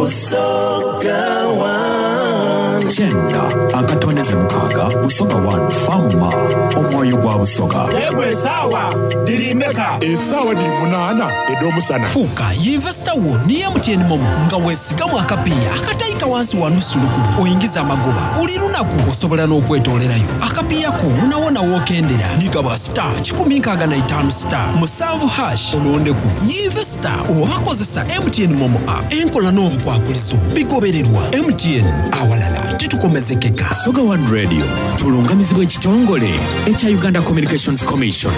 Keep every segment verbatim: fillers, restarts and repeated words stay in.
Busoga One. Kyenda akatondeze mukaaga Busoga One Fama omwoyo gwa Busoga. Yegwe esaawa diri mmeka? Esaawa diri munaana ed'omusana. Fuuka yinvesita wo ni M T N MoMo nga weesigamu akapiiya akatayika wansi wa nusu lukumi oyingiza amagoba buli lunaku osobola n'okwetoolerayo akapiiya ko wonawona w'okendera nigaba star kikumi nkaaga na itaano star musanvu hash olondeku yinvesita oba kozesa M T N MoMo app enkola n'obukwakulizo bigobererwa M T N awalala titukomezekeka. Busoga One Radio tulungamizibwa ekitongole ekya Uganda Communications Commission.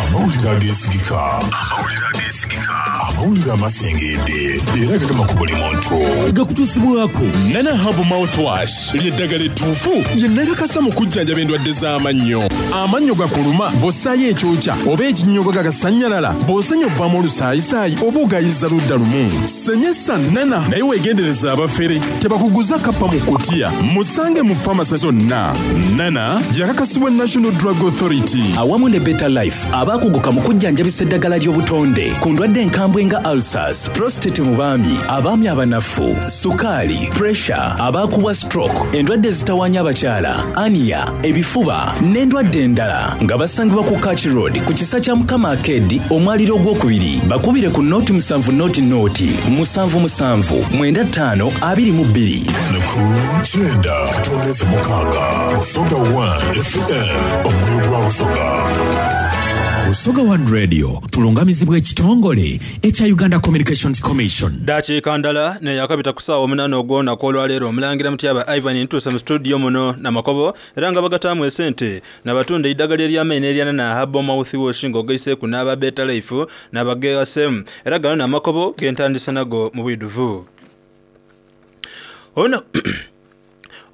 Amawulire ageesigika. Amawulire ageesigika. Amawulire amasengedde era gagema ku buli muntu. Gakutuusibwako Nana Herbal Mouthwash ly'eddagala ettuufu lye nakakasa mu kujjanjaba endwadde z'amannyo. Amannyo gakuluma bw'ossaayo ekyokya oba ekinnyogo gagasannyalala bw'osenya ovaamu olusaayisaayi oba ogayiza ludda lumu. Senyesa Nana naye weegendereza abafere tebakuguza kappa mu kutiya. Musange mu famasi zonna. Nana yakakasibwa National Drug Authority awamu ne Better Life abaakuguka mu kujjanjabisa eddagala ly'obutonde ku ndwadde enkambwe nga ulcers, prostate mu baami, abaami abanafu, sukaali, pressure, abaakubwa stroke, endwadde ezitawaanya abakyala, ania, ebifuba n'endwadde endala nga basangibwa ku Kach Road ku kisa kya Mukama Arcade omwaliro ogwokubiri. Bakubire ku noti musanvu noti noti musanvu musanvu mwenda ttaano abiri mu bbiri. Ku kyenda katondeze mukaaga Busoga One F M omwoyo gwa Busoga. Busoga One Radio tulungamizibwa ekitongole ekya Uganda Communications Commission. Dakiika ndala ne yakabita ku ssaawa omunaana ogw'olunaku olwaleero omulangira Mutyaba Ivan ntuuse mu studio muno Namakobo era nga bagataamu esente n'abatunda eddagala ery'amaanyi erya Nana Herbal Mouthwash ng'ogaiseeku n'aba Better Life n'abageegasemu era gano Namakobo gentandisa nago mu bwidduvu. Ono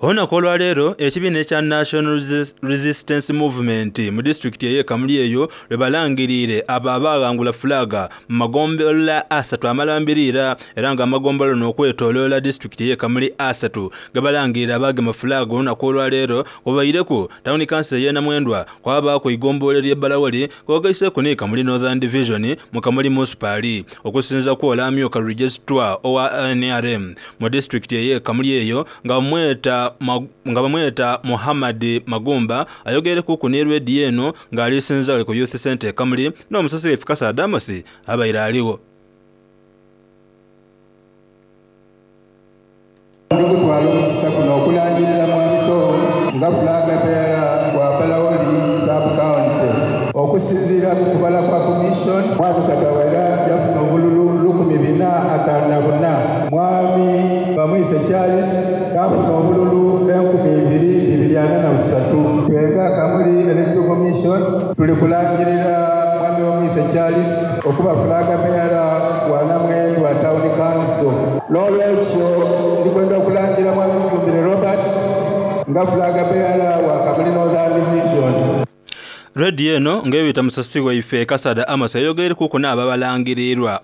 Olunaku olwaleero ekibiina ekya National Resistance Movement mu disitulikiti ey'e Kamuli eyo lwe balangiriire abo abaawangula fulaga mu magombolola asatu amalambirira era nga amagombolola n'okwetooloola disitulikiti ey'e Kamuli asatu gabalangirira abaagema fulaga olunaku olwaleero kubaireku tawuni kanso ey'e Namwendwa kwabaako igombolola ly'e Balawoli kwogaiseeku ne Kamuli Northern Division mu Kamuli Municipal okusinza ku olamyuka registrar owa N R M mu disitulikiti ey'e Kamuli eyo nga bamweta nga bamweta Muhammad Magumba ayogere ku ne radio eno ng'alisinza ku Youth Center Kamuli n'omusasi waffe Kasa Damosi abaire aliwo. Ndikutwala omukisa guno okulangirira mwami nga fulaga bearer wa Balawoli sub county okusinziira ku kubala kwa commission mwami Katawera yafuna obululu lukumi bina ataano na buna, mwami Bamwise Charles yafuna obululu enkumi ibiri bibiri ana na busatu. Twenga Kamuli Electoral Commission tuli kulangirira mwami Bamwise Charles okuba fulaga bearer wa Namwendwa Town Council. N'olwekyo ndikwenda okulangira mwami Mugumbire Robert nga fulaga bearer wa Kamuli Northern Division. Radio eno ng'ebita musasi waife Kasada Amos ayogere kuko n'ababalangirirwa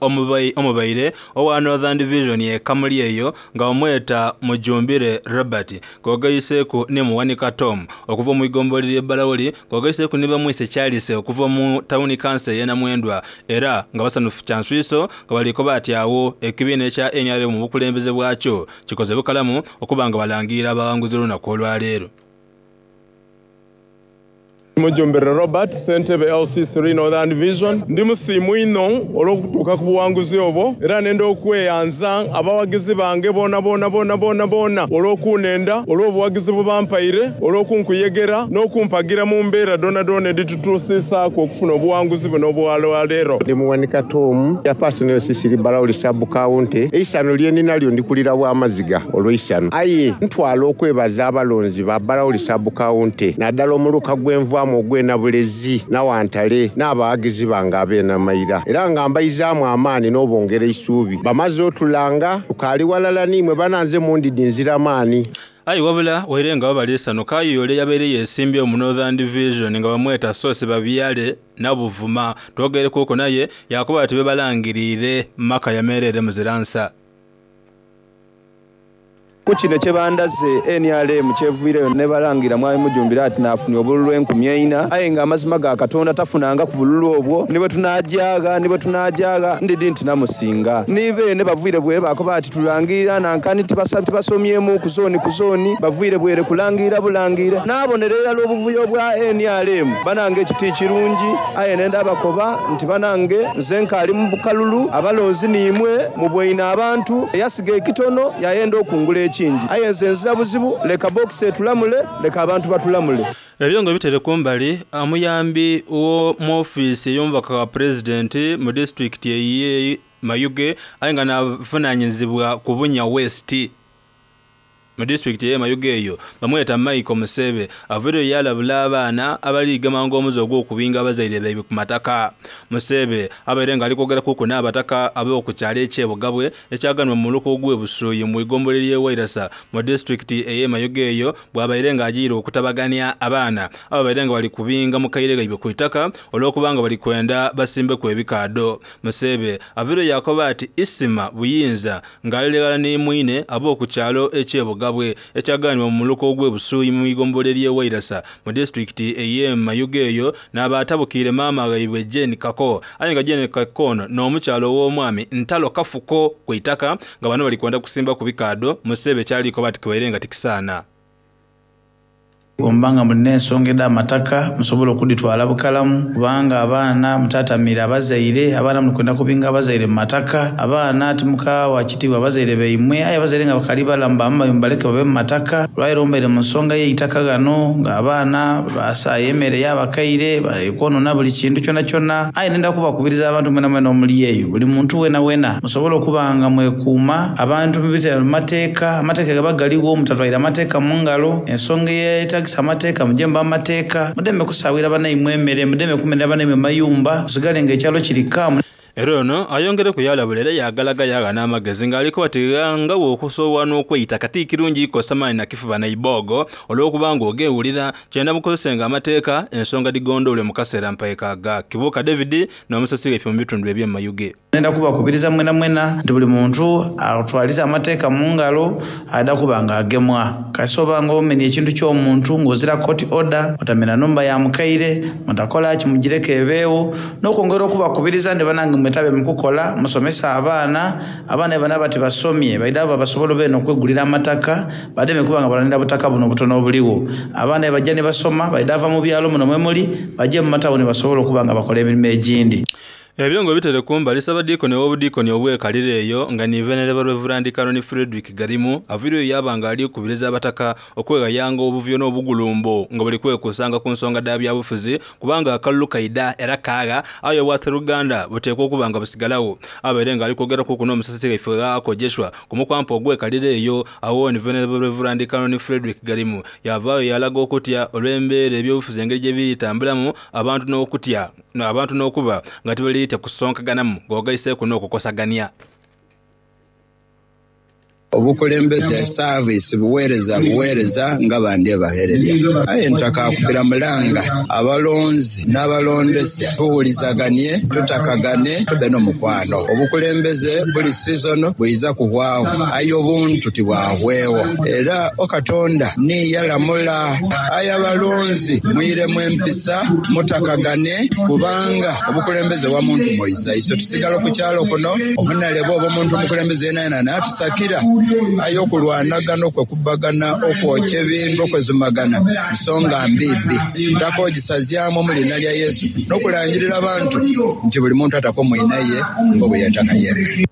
omubaire owa Northern Division ye Kamuli eyo nga omweta Mujumbire Robert kogaiseeku ne Muwanika Tom okuva mu igombolola ly'e Balawoli kogaiseeku ne Bamwise Charles okuva mu Town Council y'e Namwendwa era nga basanufu kyanswiso nga baliko batyawo ekibiina ekya N R M mu bukulembeze bwakyo kikoze bukalamu okuba nga balangirira abawanguzi olunaku olwaleero. Mujumbire Robert, Ssentebe L C three Northern Division. Ndi musiimu ino olw'okutuuka ku buwanguzi obwo era nenda okweyanza abawagizi bange boona boona boona boona boona olw'okunenda olw'obuwagizi bwe bampaire olw'okunkuyegera n'okumpagira mu mbeera doona doona editutuusiisaako okufuna obuwanguzi buno obwalwaleero. Ndi Muwanika Tom, ya personal Sisiri Balawoli sub county. Eisano lye ninalyo ndikulira bw'amaziga olw'eisano. Aye ntwala okwebaza abalonzi ba Balawoli sub county naddala omuluka gw'envaamu ogw'e Nabulezi n'Awantale n'abawagizi bange ab'enamayira era nga mbayizaamu amaanyi n'obongera eisuubi bamaze otulanga tukaali walala nimwe bananze mundidi nziramaani. Ayi wabula waire nga babaliisano Kayole yabeere yeesimbye mu Northern Division nga bamweta Sosi Babyale Nabuvuma twogere kuko naye yakuba ati bebalangiriire maka yamerere muziransa. Ku kino kyebandaze N R M kyevuireyo ne balangira mwami Mujumbira ati naafunye obululu enkumi eina, aye nga amazima ga Katonda tafunanga ku bululu obwo, ni bwe tunaajaagha, ni bwe tunaajaagha ndidi nti namusinga. Ni beene bavuire bwere bakoba ati tulangirira nankani tibasomyemu ku zooni ku zooni, bavuire bwere kulangirira bulangira. Naabonera irala obuvuyo bwa N R M banange ekiti kirungi, aye nenda abakoba nti banange nze nkaali mu bukalulu, abalonzi niimwe mubweine abantu, eyasiga ekitono yayenda okungula ekingi, aye nze nzira buzibu, leka bokisi etulamule, leka abantu batulamule. Ebyongo bitere kumbali omuyambi wo mu ofiisi ey'omubaka wa pulezidenti mu disitulikiti eye Mayuge aye nga navunaanyizibwa ku Bunya West mu disitulikiti eye Mayuge eyo bamweta Michael Musebe avuireyo yalabula abaana abaliigemanga omuze ogw'okubinga abazaire baibwe ku mataka. Musebe abaire nga ali kwogera kuku n'abataka ab'oku kyalo eky'Ebugabwe ekyaganwa mu muluka ogw'Ebusuuyi mu igombolola ly'e Wairasa mu disitulikiti eye Mayuge eyo bw'abaire nga agiire okutabaganya abaana ababaire nga bali kubinga mu kaire gaibwe ku itaka olw'okubanga bali kwenda basimbeku ebikaado. Musebe avuireyo yakoba ati Isima Buyinza ng'aliregala ni mwine ab'oku kyalo eky'Ebugabwe ekyaganibwa mu muluka ogw'Ebusuuyi mu igombolola ly'e Wairasa mu disitulikiti ey'e Mayuge eyo n'abaatabukiire maama ghaibwe Jane Kako, aye nga Jane Kako ono n'omukyalo ow'omwami Ntalo Kafuko ku itaka nga bano bali kwenda kusimba ku bikaado. Musebe kyaliko bati kibaire nga tikisaana. Ombanga mulina ensonga ed'amataka musobola okuditwala bukalamu, kubanga abaana mutatamira abazaire, abaana mulikwenda kubinga abazaire mu mataka, abaana timukawa kitiibwa abazaire baimwe, aye abazaire nga bakali balamu bamma mubaleke babe mu mataka. Lwairo mbaire mu nsonga y'eitaka gano ng'abaana basaaye emmere y'abakaire bakwonona buli kintu kyona kyona, aye nenda kubakubiriza abantu mwena mwena omuli eyo, buli muntu wena wena musobola okuba nga mwekuuma abantu mubitera mu mateeka, amateeka gaba galiwo, mutatwaire amateeka mu ngalo, ensonga eyetagisa amateeka mujemba amateeka, mudeme kusawira banaimwe emmere, mudeme kumenera banaimwe mayumba, tusigale nga ekyalo kiri kaamu. Era ono ayongere kuyalabula era yagalaga yaga n'amagezi ng'aliko bati nga bw'okusobola n'okweyita kati kirungi ikosa maanyi nakifuba naibogo olw'okubanga ogeewulira kyenda mukozesenga amateeka ensonga digondoole mu kaseera mpaekaga. Kibuuka David n'omusasi waife mu bitundu eby'e Mayuge. Nenda kubakubiriza mwena mwena nti buli muntu atwalize amateeka mu ngalo adda kuba nga agemwa. Kasoba nga omenya ekintu ky'omuntu ng'ozira court order, otamena numba ya mukaire, mutakola ki mugireke ebeewo, n'okwongera okubakubiriza ndi banange mwetabe mukukola, musomesa abaana, abaana bana bati basomye, baida abo basobola bene okwegulira amataka, bademe kuba nga balanira butaka buno obutono obuliwo. Abaana bajja ne basoma, baida ava mu byalo muno mwe muli, bajje mu matawuni basobola okuba nga bakola emirimu egindi. Ebyongo bitere kumbali Ssabadiikoni ow'obudiikoni obwekalire eyo nga ni Venerable Reverend Canon Frederick Garimu aviireyo yaba nga ali kubiriza abataka okwegayanga obuvuyo n'obugulumbo nga buli kwekusanga ku nsonga dha byabufuzi, kubanga akalulu kaida era kaagha aye obwaseruganda buteekwa okuba nga busigalawo. Abaire nga ali kwogera kuku n'omusasi waife Ghaako Joshua ku mukwampa ogwekalire eyo, awo ni Venerable Reverend Canon Frederick Garimu yavaayo yalaga okutya olw'embeera ebyobufuzi engeri gye biritambulamu abantu n'okutya abantu n'okuba nga tibaliitya kusonkaganamu ng'ogaiseeku n'okukosaganya. Obukulembeze service buweereza buweereza nga bandi ebahererya, aye ntakakubira mulanga abalonzi n'abalondesya tuwulizaganye tutakagane tube n'omukwano. Obukulembeze buli season bwiza kuhwaho, aye obuntu tibwahwewo, era okatonda niyalamula. Aye abalonzi mwiremu empisa mutakagane, kubanga obukulembeze bwa muntu moiza iso tusigala ku kyalo kuno obunalebo oba omuntu omukulembeze yenayena natusakira, aye okulwanagana okwekubagana okwokya ebintu okwezumagana nsonga mbibi ntakogisazyamu mu lina lya Yesu n'okulangirira abantu nti buli muntu ataka omwinaye nga bwe yataka yeka.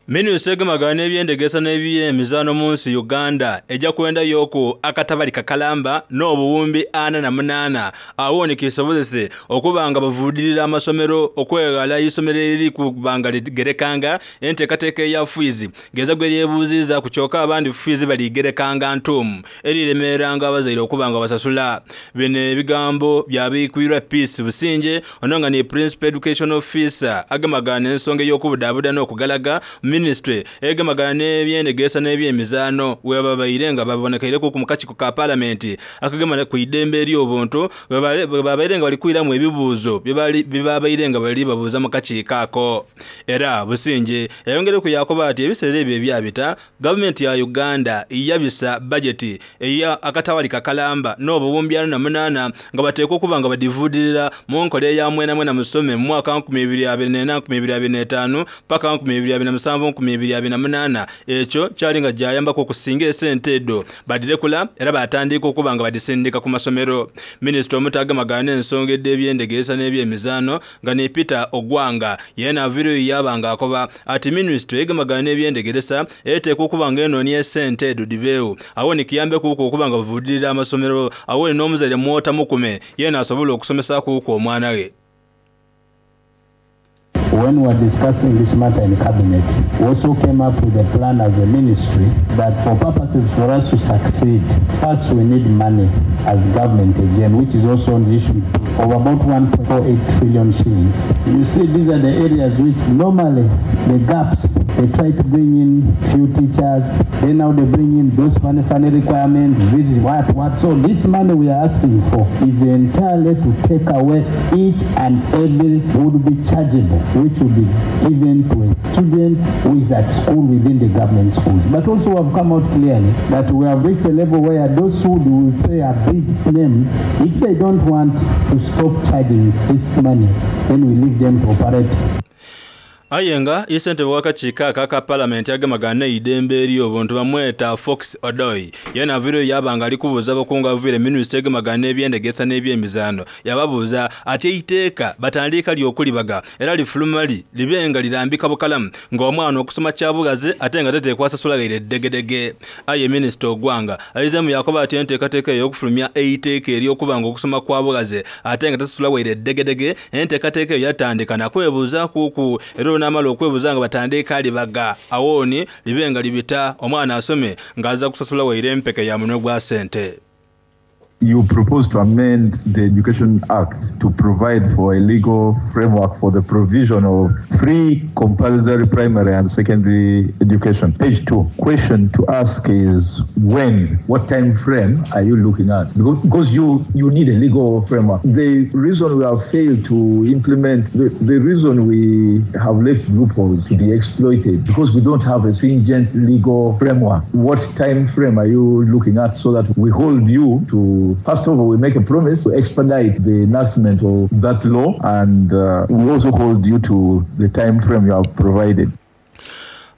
Minisita egemagana n'ebyendegesa n'ebyemizaano mu nsi Uganda ejja kwendayoku akatabali kakalamba n'obuwumbi ana na munaana awo ni kisobozese okuba nga bavuudirira amasomero okweghala isomero eriri kubanga ligerekanga enteekateeka eya fiizi ngeza gwe lyebuuziza ku kyokka abandi fiizi baligerekanga ntuumu eriremeranga abazaire okuba nga basasula. Bino ebigambo byabiikwirwa Peace Businje ono nga ni Principal Education Officer agemagana ensonga ey'okubudaabuda n'okugalaga Minisitule egemagana n'ebyendegeesa n'ebyemizaano webabaire nga babonekeireku mu kakiiko ka palamenti akagemana ku idembe ery'obuntu bwe babaire nga bali kwiramu ebibuuzo bye babaire nga bali babuuza mu kakiiko ako. Era Businge yayongereku yakoba ati ebiseera ebyo ebyabita gavumenti ya Uganda yabisa bajeti eya akatawali kakalamba n'obuwumbi ana na munaana nga bateekwa okuba nga badivuudirira mu nkola eya mwena mwena musome mu mwaka nkumi ibiri abiri n'ena nkumi ibiri abiri n'etaano paka nkumi ibiri abiri na musanvu nkumi ibiri abiri na munaana. Ekyo kyali nga gyayambako okusinga esente edo badirekula era batandika okuba nga badisindika ku masomero. Minisita omutagemagana n'ensonga ed'ebyendegeesa n'ebyemizaano nga ne Peter Ogwanga yena aviireyo yaba nga akoba ati minisitule egemagana n'ebyendegeresa eteekwa okuba nga enoonya esente edo dibeewo awo nikiyambekuku okuba nga bavuudirira amasomero awo n'omuzaire mwota mukume yena asobola okusomesaakuku omwana we. When we were discussing this matter in cabinet, we also came up with a plan as a ministry that for purposes for us to succeed, first we need money as government again, which is also on the issue of about one point four eight trillion shillings. You see, these are the areas which normally the gaps, they try to bring in few teachers, then now they bring in those funny, funny requirements, this, what, what. So this money we are asking for is entirely to take away each and every would be chargeable, which will be given to a student who is at school within the government schools. But also we have come out clearly that we have reached a level where those who we will say are big names, if they don't want to stop charging this money, then we leave them to operate. Aye nga ssentebe w'akakiiko aka aka palamenti agemagana n'eidembe ery'obuntu bamweta Fox Odoi yena aviireyo yaba nga ali kubuuza abakungu abaviire minisitule egemagana n'ebyendegesa n'ebyemizaano yababuuza ati eiteeka batandika lyokulibaga era lifuluma li libe nga lirambika bukalamu ng'omwana okusoma kyabugazi ate nga teteekwa asasula eddegedege. Aye minisita Ogwanga ayizemu yakoba ati enteekateeka ey'okufulumya eiteeka ery'okuba nga okusoma kwa bugazi ate nga tasasula waire eddegedege enteekateeka eyo yatandika nakwebuuza kuku era onamala okwebuuza nga batandika libaga awooni libe nga libita omwana asome ng'aza kusasula waire empeke ya munwe gwa sente. You propose to amend the Education Act to provide for a legal framework for the provision of free compulsory primary and secondary education. Page two. Question to ask is when, what time frame are you looking at? Because, because you, you need a legal framework. The reason we have failed to implement, the, the reason we have left loopholes to be exploited, because we don't have a stringent legal framework. What time frame are you looking at so that we hold you to, first of all, we make a promise to expedite the enactment of that law, and uh, we also hold you to the time frame you have provided.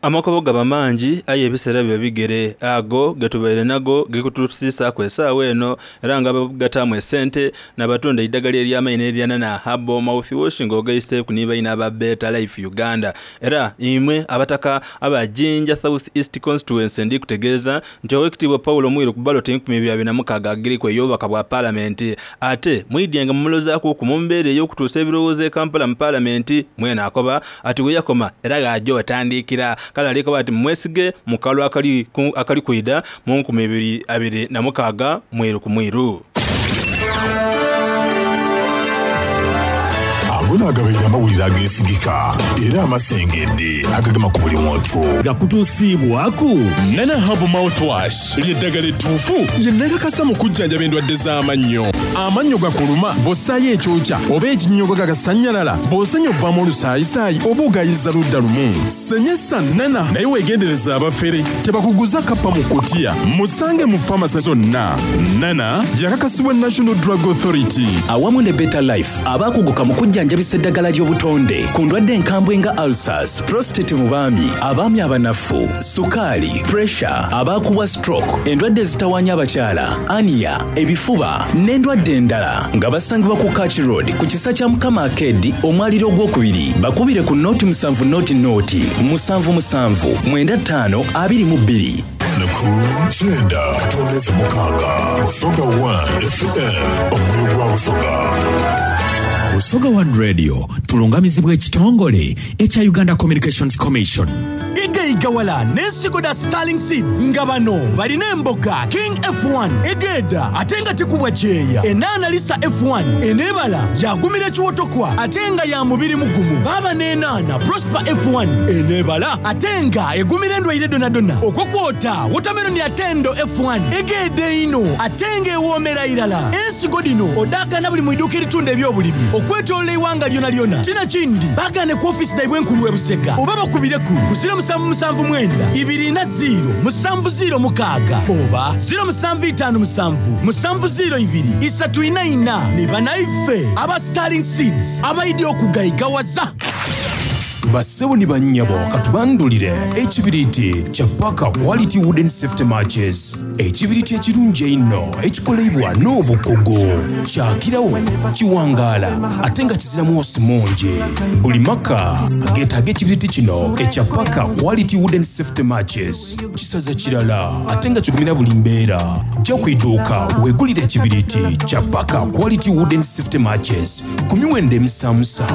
Amakobo gaba mangi aye ebiseera biba bigere ago getubaire nago gekutusiisaaku essaawa eno era nga bagataamu esente nabatunda eddagala ery'amaino eryanana herbal mouthwash ng'ogaiseeku nibaina aba Better Life Uganda. Era imwe abataka aba Jinja South East constituency ndikutegeeza nti owekitiibwa Paulo Mwiru ku baloti enkumi ibiri abiri na mukaaga agiriku ey'obubaka bwa paalamenti ate mwidyenga mumulozaaku mu mbeera ey'okutuusa ebirowoozo e Kampala mu paalamenti mwene akoba ati we yakoma era gajja otandikira kale alikoba ati mwesige mu kalulu akali akali kwida mu nkumi ibiri abiri na mukaaga mwiru ku mwiru. Ago naagabaire amawulire ageesigika era amasengedde agagema ku buli muntu gakutuusiibwaku Nana Herbal Mouthwash lyeddagala ettuufu lye nakakasa mu kujjanjaba endwadde z'amannyo. Amannyo gakuluma bw'ossaayo ekyokya oba ekinnyogo gagasannyalala bw'osenya ovaamu olusaayisaayi oba ogayiza ludda lumu senyesa Nana naye weegendereza abafere tebakuguza kappa mu kutiya musange mu famasi zonna. Nana yakakasibwa National Drug Authority. Awamu ne Better Life abaakuguka mu kujjanjabisa eddagala ly'obutonde ku ndwadde enkambwe nga ulcers, prostate mu baami, abaami abanafu, sukaali, pressure, abaakubwa stroke, endwadde ezitawaanya abakyala, hernia, ebifuba n'endwadde endala nga basangibwa ku Kach Road ku kisa kya Mukama Arcade omwaliro ogwokubiri. Bakubire ku noti musanvu noti noti musanvu musanvu mwenda ttaano abiri mu bbiri. Ku kyenda katondeze mukaaga Busoga one F M omwoyo gwa Busoga. Busoga One Radio tulungamizibwa ekitongole ekya Uganda Communications Commission. Okugaigawala n'ensigo da Starling Seeds nga bano balina emboga King F one egeeda ate nga tekubwa kyeya, enaana Lisa F one eneebala yagumira ekiwotokwa ate nga ya mubiri mugumu. Baaba n'enaana Prosper F one eneebala ate nga egumira endwaire donadona, okwo kwota watermelon atendo F one egeeda ino ate nga ewoomera irala. Ensigo dino odaagana buli mu iduuka eritunda ebyobulimi okwetolola eiwanga lyona lyona. Kina kindi bagane ku ofisi daibwe enkulu e Busega oba bakubireku ku zero musanvu musanvu mwenda ibiri na zero musanvu zero mukaaga oba zero musanvu itaano musanvu musanvu zero ibiri isatu ina ina. Ni banaife aba Starling Seeds abaidi okugayigawaza. Bassebo ne bannyabo, katubandulire ekibiriiti kya Paka Quality Wooden Safety Matches, ekibiriiti ekirungi einho ekikolebwa n'obukugu, kyakirawo, kiwangaala ate nga kiziramu osi mungi. Buli maka geetaaga ekibiriiti kino ekya Paka Quality Wooden Safety Matches. Kisaza kirala ate nga kigumira buli mbeera. Jja ku idduuka weegulire ekibiriiti kya Paka Quality Wooden Safety Matches ku miwendo emisaamusa.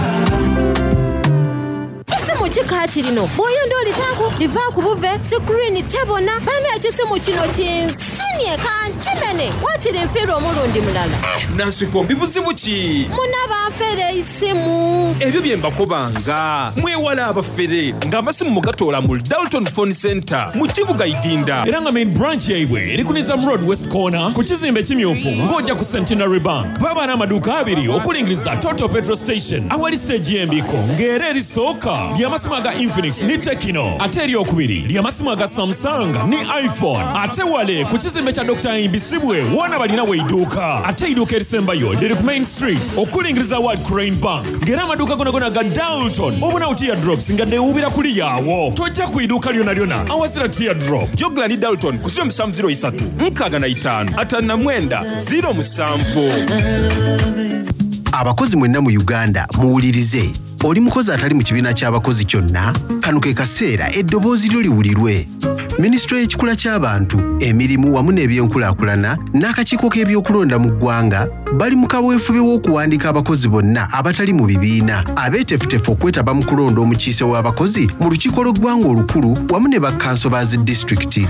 Ekisimu kika kirino bw'oyonda olitaaku livaaku buve screen tebona. Bana, ekisimu kino kinsinye kankimene, wakiri nfiirwa omulundi mulala. Nansikombi, buzibu ki? Muna banfere isimu. Ebyo bye mbakobanga, mwewala abafere ng'amasimu mugatoola mu Dalton Phone Center mu kibuga Idinda. Era nga main branch yaibwe eri ku Nizam Road West Corner ku kizimbe ekimyufu ng'ojja ku Centenary Bank. Baba n'amaduuka abiri okulingiriza Total Petrol Station awali stage y'embiko, ng'era erisooka ly'amasimu aga Infinix ne Tecno, ate eryokubiri ly'amasimu aga Samsung ne iPhone. Ate wale ku kizimbe kya Doctor Imbisibwe wona balina weidduuka, ate eidduuka erisembayo liri ku Main Street okulingiriza World Crane Bank, ng'era amaduuka gonagona ga Dalton obonawo teardrops nga deewubira kuli yaawo. Tojja ku idduuka lyona lyona awazira teardrop. Jogla ni Dalton ku zero musanvu zero isatu nkaaga na itaano ataano na mwenda zero musanvu. Abakozi mwenna mu Uganda muwulirize. Oli mukozi atali mu kibiina ky'abakozi kyonna, kano ke kaseera eddoboozi lyo liwulirwe. Minisitule y'ekikula ky'abantu, emirimu wamu n'ebyenkulaakulana n'akakiiko k'ebyokulonda mu ggwanga bali mu kaweefube w'okuwandiika abakozi bonna abatali mu bibiina abeeteefuteefu okwetaba mu kulonda omukiise w'abakozi mu lukiiko lw'eggwanga olukulu wamu ne bakkanso ba zi disitulikiti.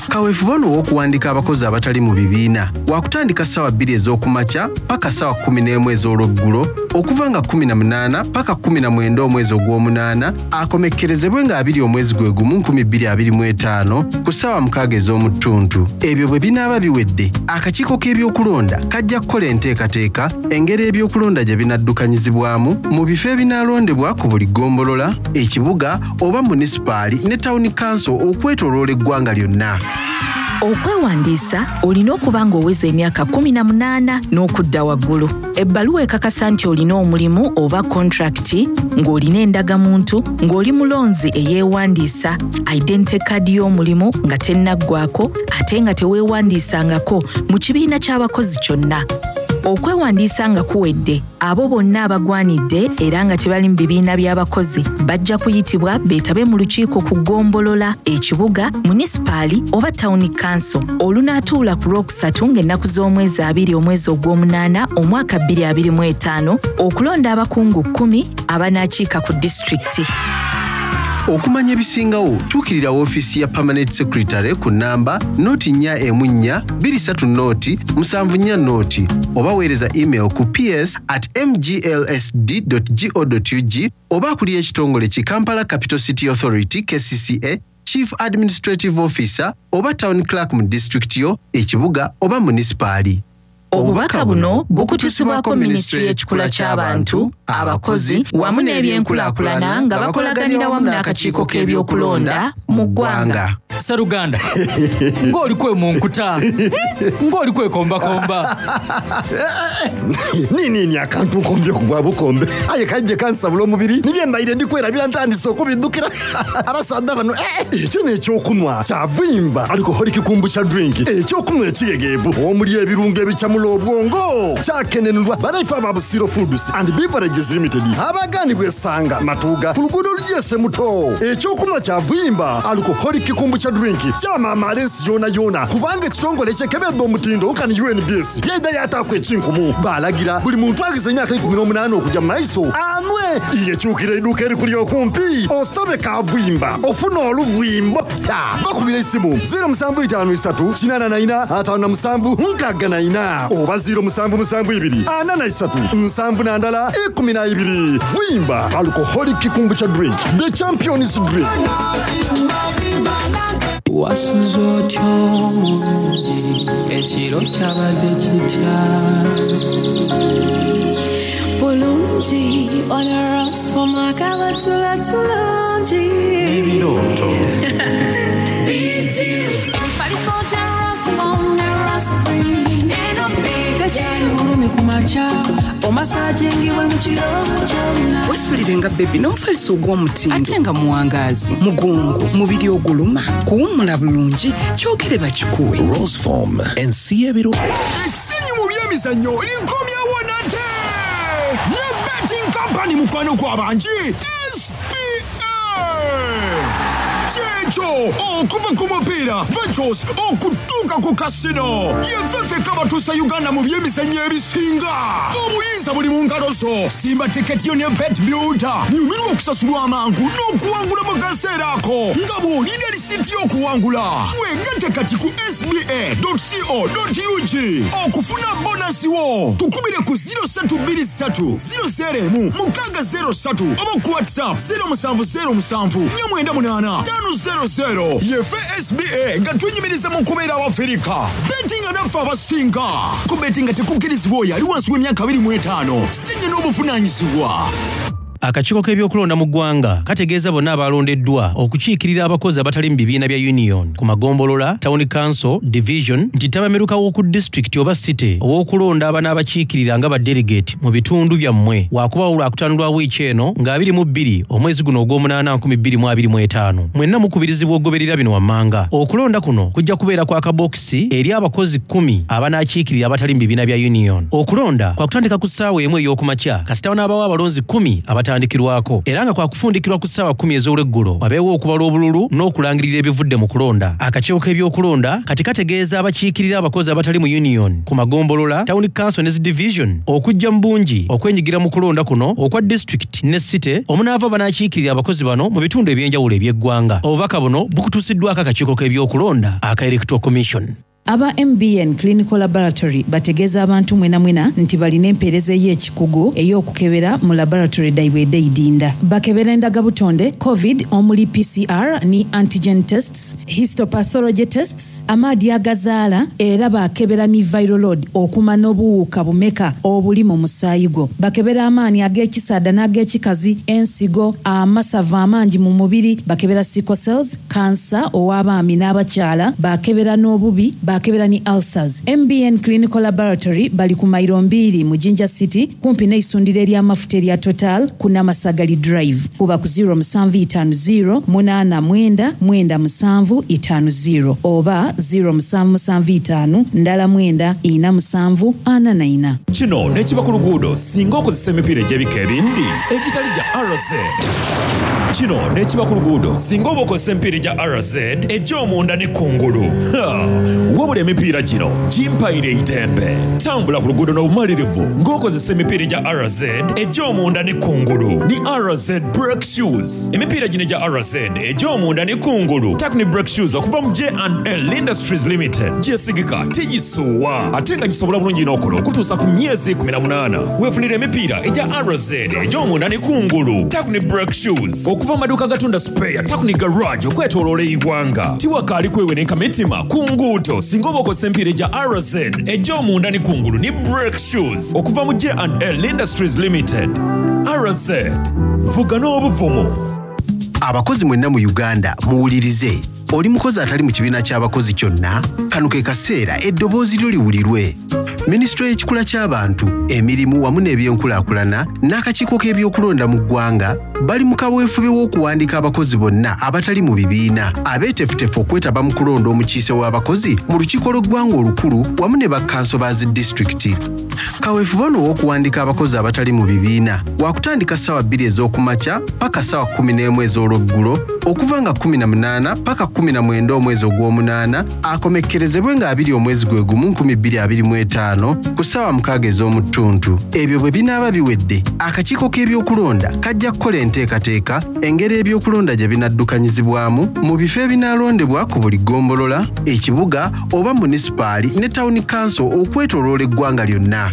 Kaweefube ono ow'okuwandiika abakozi abatali mu bibiina wakutandika ssaawa bbiri ez'okumakya paka ssaawa kkumi n'emu ez'olweggulo okuva nga kkumi na munaana paka kkumi na mwenda omwezi ogw'omunaana, akomekkerezebwe nga abiri omwezi gwe gumu nkumi bbiri abiri mu etaano ku ssaawa mukaaga ez'omu ttuntu. Ebyo bwe binaaba biwedde, akakiiko k'ebyokulonda kajja kukola enteekateeka engeri ebyokulonda gye binaddukanyizibwamu mu bifo ebinaalondebwa ku buli ggombolola, ekibuga oba munisipaali ne tawuni kanso okwetooloola eggwanga lyonna. Okwewandiisa olina okuba ng'oweza emyaka kkumi na munaana n'okudda waggulu, ebbaluwa ekakasa nti olina omulimu oba kontrakiti, ng'olina endagamuntu, ng'oli mulonzi eyeewandiisa, identity card y'omulimu nga tennaggwako, ate nga teweewandiisangako mu kibiina ky'abakozi kyonna. Okwewandiisa nga kuwedde, abo bonna abagwanidde era nga tebali mu bibiina by'abakozi bajja kuyitibwa beetabe mu lukiiko ku ggombolola, ekibuga, munisipaali oba tawuni kanso olunaatuula ku Lwokusatu ng'ennaku z'omwezi abiri omwezi ogw'omunaana omwaka bbiri abiri mu etaano okulonda abakungu kkumi abanaakiika ku disitulikiti. Okumanya ebisingawo, tuukirira woofiisi ya Permanent Secretary ku nnamba noti nnya emu nnya bbiri ssatu noti musanvu nnya noti oba weereza email ku P S at M G L S D go dot U G oba akulira ekitongole ki Kampala Capital City Authority, K C C A, Chief Administrative Officer oba Town Clerk mu disitulikiti yo, ekibuga oba munisipaali. Obubaka buno bukutuusibwako Minisitule y'Ekikula ky'Abantu, Abakozi wamu n'Ebyenkulaakulana nga bakolaganira wamu n'akakiiko k'ebyokulonda mu ggwanga. Seruganda, ng'oli kwe mu nkuta, ng'oli kwekombakomba. Ninini akantu nkombye ku bwa bukombe, aye kajje kansabula omubiri nibye mbaire ndikwerabira ntandise okubiddukira abasaadha bano. Eh, ekyo n'ekyokunwa kyavimba alcoholic kombucha drink, ekyokunwa ekiyegeevu omuli ebirungo ebikyamula obwongo, kyakenenulwa banaife aba Busiro Foods and Beverages Limited abaganibwa esanga Matuuga ku luguudo olugyese muto. Ekyokunwa kyavimba alcoholic kombucha drink kyamaamaala ensi yona yona kubanga ekitongole ekyekebera edh'omutindo nkani U N B S yaidha yataaku ekinkumu. Balagira buli muntu agize emyaka ikumi n'omunaana okujja mu maiso anwe. Yekyukira eiduuka erikuli okumpi osabe kavuyimba ofuna oluvuyimbo. Bakubira esimu zero musanvu itaano isatu kinaana na ina ataano na musanvu nkaaga na ina oba zero musanvu musanvu ibiri ana na isatu nsanvu na ndala ikumi na ibiri. Vuyimba alcoholic kombucha drink, the champions drink. Wasuze otyo omulungi, ekiro kyabadde kitya? Bulungi, onarasoma kabatula tulungi. Ebirooto. Emifaliso gya Rasmom ne Raspring, eno Tekyali bulumi ku makya, omasajingibwe mu kiro kyonna. Weesulirenga bebi n'omufaliso ogw'omutindo ate nga muwangaazi, mugongo, mubiri oguluma, kuwummula bulungi, kyogere bakikuwe. Roseform, ensi y'ebiro. Essanyu mu by'emizannyo likomyewo nate! Ne betting company mukwano gw'abangi S P A! Kyekyo okuva ku mupiira Ventures okutuuka ku kasino. Ye ffeffeka abatuusa Uganda mu by'emizannyo ebisinga. Obuyinza buli mu ngalo zo. Simba tiketi yo ne Bet Builder. Nyumirwa okusasulwa amangu n'okuwangula mu kaseera ako nga bw'olinda lisiiti y'okuwangula. Weegatte kati ku S B A dot C O dot U G okufuna bonasi wo. Tukubire ku zero ssatu bbiri ssatu zero zero emu mukaaga zero ssatu oba ku WhatsApp zero musanvu zero musanvu nnya mwenda munaana ttaano zero zero. Yefe S B A nga twenyumiriza mu kubeera Abafirika. Bettinga naffe abasinga. Ku bettinga tekukkirizibwa oyo ali wansi w'emyaka abiri mu etaano. Sinye n'obuvunaanyizibwa. Akakiiko k'ebyokulonda mu ggwanga kategeeza bonna abalondeddwa okukiikirira abakozi abatali mu bibiina bya union ku magombolola, town council, division nti ttabamiruka w'oku disitulikiti oba city ow'okulonda abanaabakiikirira nga ba delegate mu bitundu byammwe waakubaawo lwakutaano lwa wiiki eno nga abiri mu bbiri omwezi guno ogw'omunaana nkumi bbiri mu abiri mu etaano. Mwenna mukubirizibwa okugoberera bino wammanga. Okulonda kuno kujja kubeera kwa kabokisi eri abakozi kkumi abanaakiikirira abatali mu bibiina bya union. Okulonda kwakutandika ku ssaawa emu ey'okumakya kasita wanaabawo abalonzi kkumi abatandikirwako era nga kwakufundikirwa ku ssaawa kkumi ez'olweggulo wabeewo okubala obululu n'okulangirira ebivudde mu kulonda. Akakiiko k'ebyokulonda kati kategeeza abakiikirira abakozi abatali mu union ku magombolola, town council ne division okujja mu bungi okwenyigira mu kulonda kuno okwa district ne city omunaava banaakiikirira abakozi bano mu bitundu eby'enjawulo eby'eggwanga. Obubaka buno bukutuusiddwako akakiiko k'ebyokulonda aka Electoral Commission. Aba M B N Clinical Laboratory bategeeza abantu mwena mwena nti balina empeereza ey'ekikugu ey'okukebera mu laboratory daibwe ed'eidinda. Bakebera endagabutonde, COVID omuli P C R ni antigen tests, histopathology tests, amaadi agazaala era bakebera ni viral load okumanya obuwuka bumeka obuli mu musaayi gwo. Bakebera amaanyi ag'ekisaada n'ag'ekikazi, ensigo, amasavu amangi mu mubiri, bakebera sickle cells, kansa ow'abaami n'abakyala, bakebera n'obubi, bakebera ni ulcers. M B N Clinical Laboratory bali ku mayiro mbiri mu Jinja City kumpi n'eisundiro ery'amafuta erya Total ku Namasagali Drive. Kuba ku zero musanvu itaano zero munaana mwenda mwenda musanvu itaano zero oba zero musanvu musanvu itaano ndala mwenda ina musanvu ana na ina. Kino n'ekiba ku luguudo singa okozesa emipiira egy'ebika ebindi egitali gya R Z. Kino n'ekiba ku luguudo singa oba okozesa emipiira egya R Z egy'omunda ne kungulu. Ha! Wabula emipiira gino gimpaire eitembe. Tambula ku luguudo n'obumalirivu ng'okozesa emipiira egya R Z egy'omunda ne kungulu. Ni R Z Brake Shoes. Emipiira gino egya R Z egy'omunda ne kungulu. Takuni Brake Shoes okuva mu J and L Industries Limited. Gyesigika tigisuwa ate nga gisobola bulungi n'okola okutuusa ku myezi kkumi na munaana. Weefunire emipiira egya R Z egy'omunda ne kungulu. Takuni Brake Shoes okuva mu maduuka agatunda spare, Takuni Garage okwetooloola eggwanga. Tiwakaali kweweneka mitima ku nguudo singa oba okozesa emipiira egya R Z egy'omunda ne kungulu ni Brake Shoes okuva mu J and L Industries Limited. R Z, vuga n'obuvumu. Abakozi mwenna mu Uganda muwulirize. Oli mukozi atali mu kibiina ky'abakozi kyonna, kano ke kaseera eddoboozi lyo liwulirwe. Minisitule y'ekikula ky'abantu, emirimu wamu n'ebyenkulaakulana n'akakiiko k'ebyokulonda mu ggwanga bali mu kaweefube w'okuwandiika abakozi bonna abatali mu bibiina abeeteefuteefu okwetaba mu kulonda omukiise w'abakozi mu lukiiko lw'eggwanga olukulu wamu ne bakkanso ba zi disitulikiti. Kaweefube ono ow'okuwandiika abakozi abatali mu bibiina wakutandika ssaawa bbiri ez'okumakya paka ssaawa kkumi n'emu ez'olweggulo okuva nga kkumi na munaana paka kkumi na mwenda omwezi ogw'omunaana akomekkerezebwe nga abiri omwezi gwe gumu nkumi bbiri abiri mu etaano ku ssaawa mukaaga ez'omu ttuntu. Ebyo bwe binaaba biwedde, akakiiko k'ebyokulonda kajja kukola enteekateeka engeri ebyokulonda gye binaddukanyizibwamu mu bifo ebinaalondebwa ku buli ggombolola, ekibuga oba munisipaali ne tawuni kanso okwetooloola eggwanga lyonna.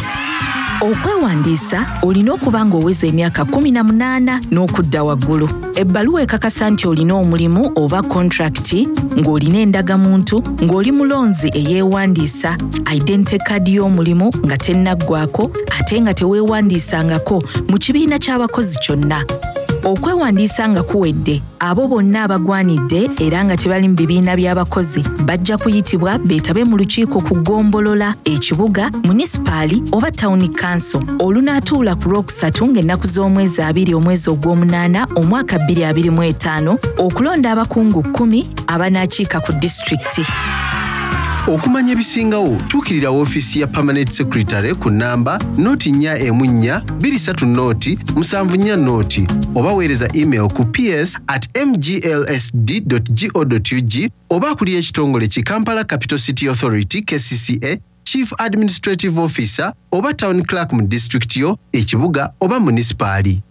Okwewandiisa olina okuba ng'oweza emyaka kkumi na munaana n'okudda waggulu. Ebbaluwa ekakasa nti olina omulimu oba kontrakiti, ng'olina endagamuntu, ng'oli mulonzi eyeewandiisa, identity card y'omulimu nga tennaggwako ate nga teweewandiisangako mu kibiina ky'abakozi kyonna. Okwewandiisa nga kuwedde, abo bonna abagwanidde era nga tebali mu bibiina by'abakozi bajja kuyitibwa beetabe mu lukiiko ku ggombolola, ekibuga, munisipaali oba tawuni kanso olunaatuula ku Lwokusatu ng'ennaku z'omwezi abiri omwezi ogw'omunaana omwaka bbiri abiri mu etaano okulonda abakungu kkumi abanaakiika ku disitulikiti. Okumanya ebisingawo tuukirira woofiisi ya Permanent Secretary ku nnamba noti nnya emu nnya bbiri ssatu noti musanvu nnya noti oba weereza email ku ps at mglsd go ug oba akulira ekitongole ki Kampala Capital City Authority K C C A, Chief Administrative Officer oba Town Clerk mu disitulikiti yo, ekibuga oba munisipaali.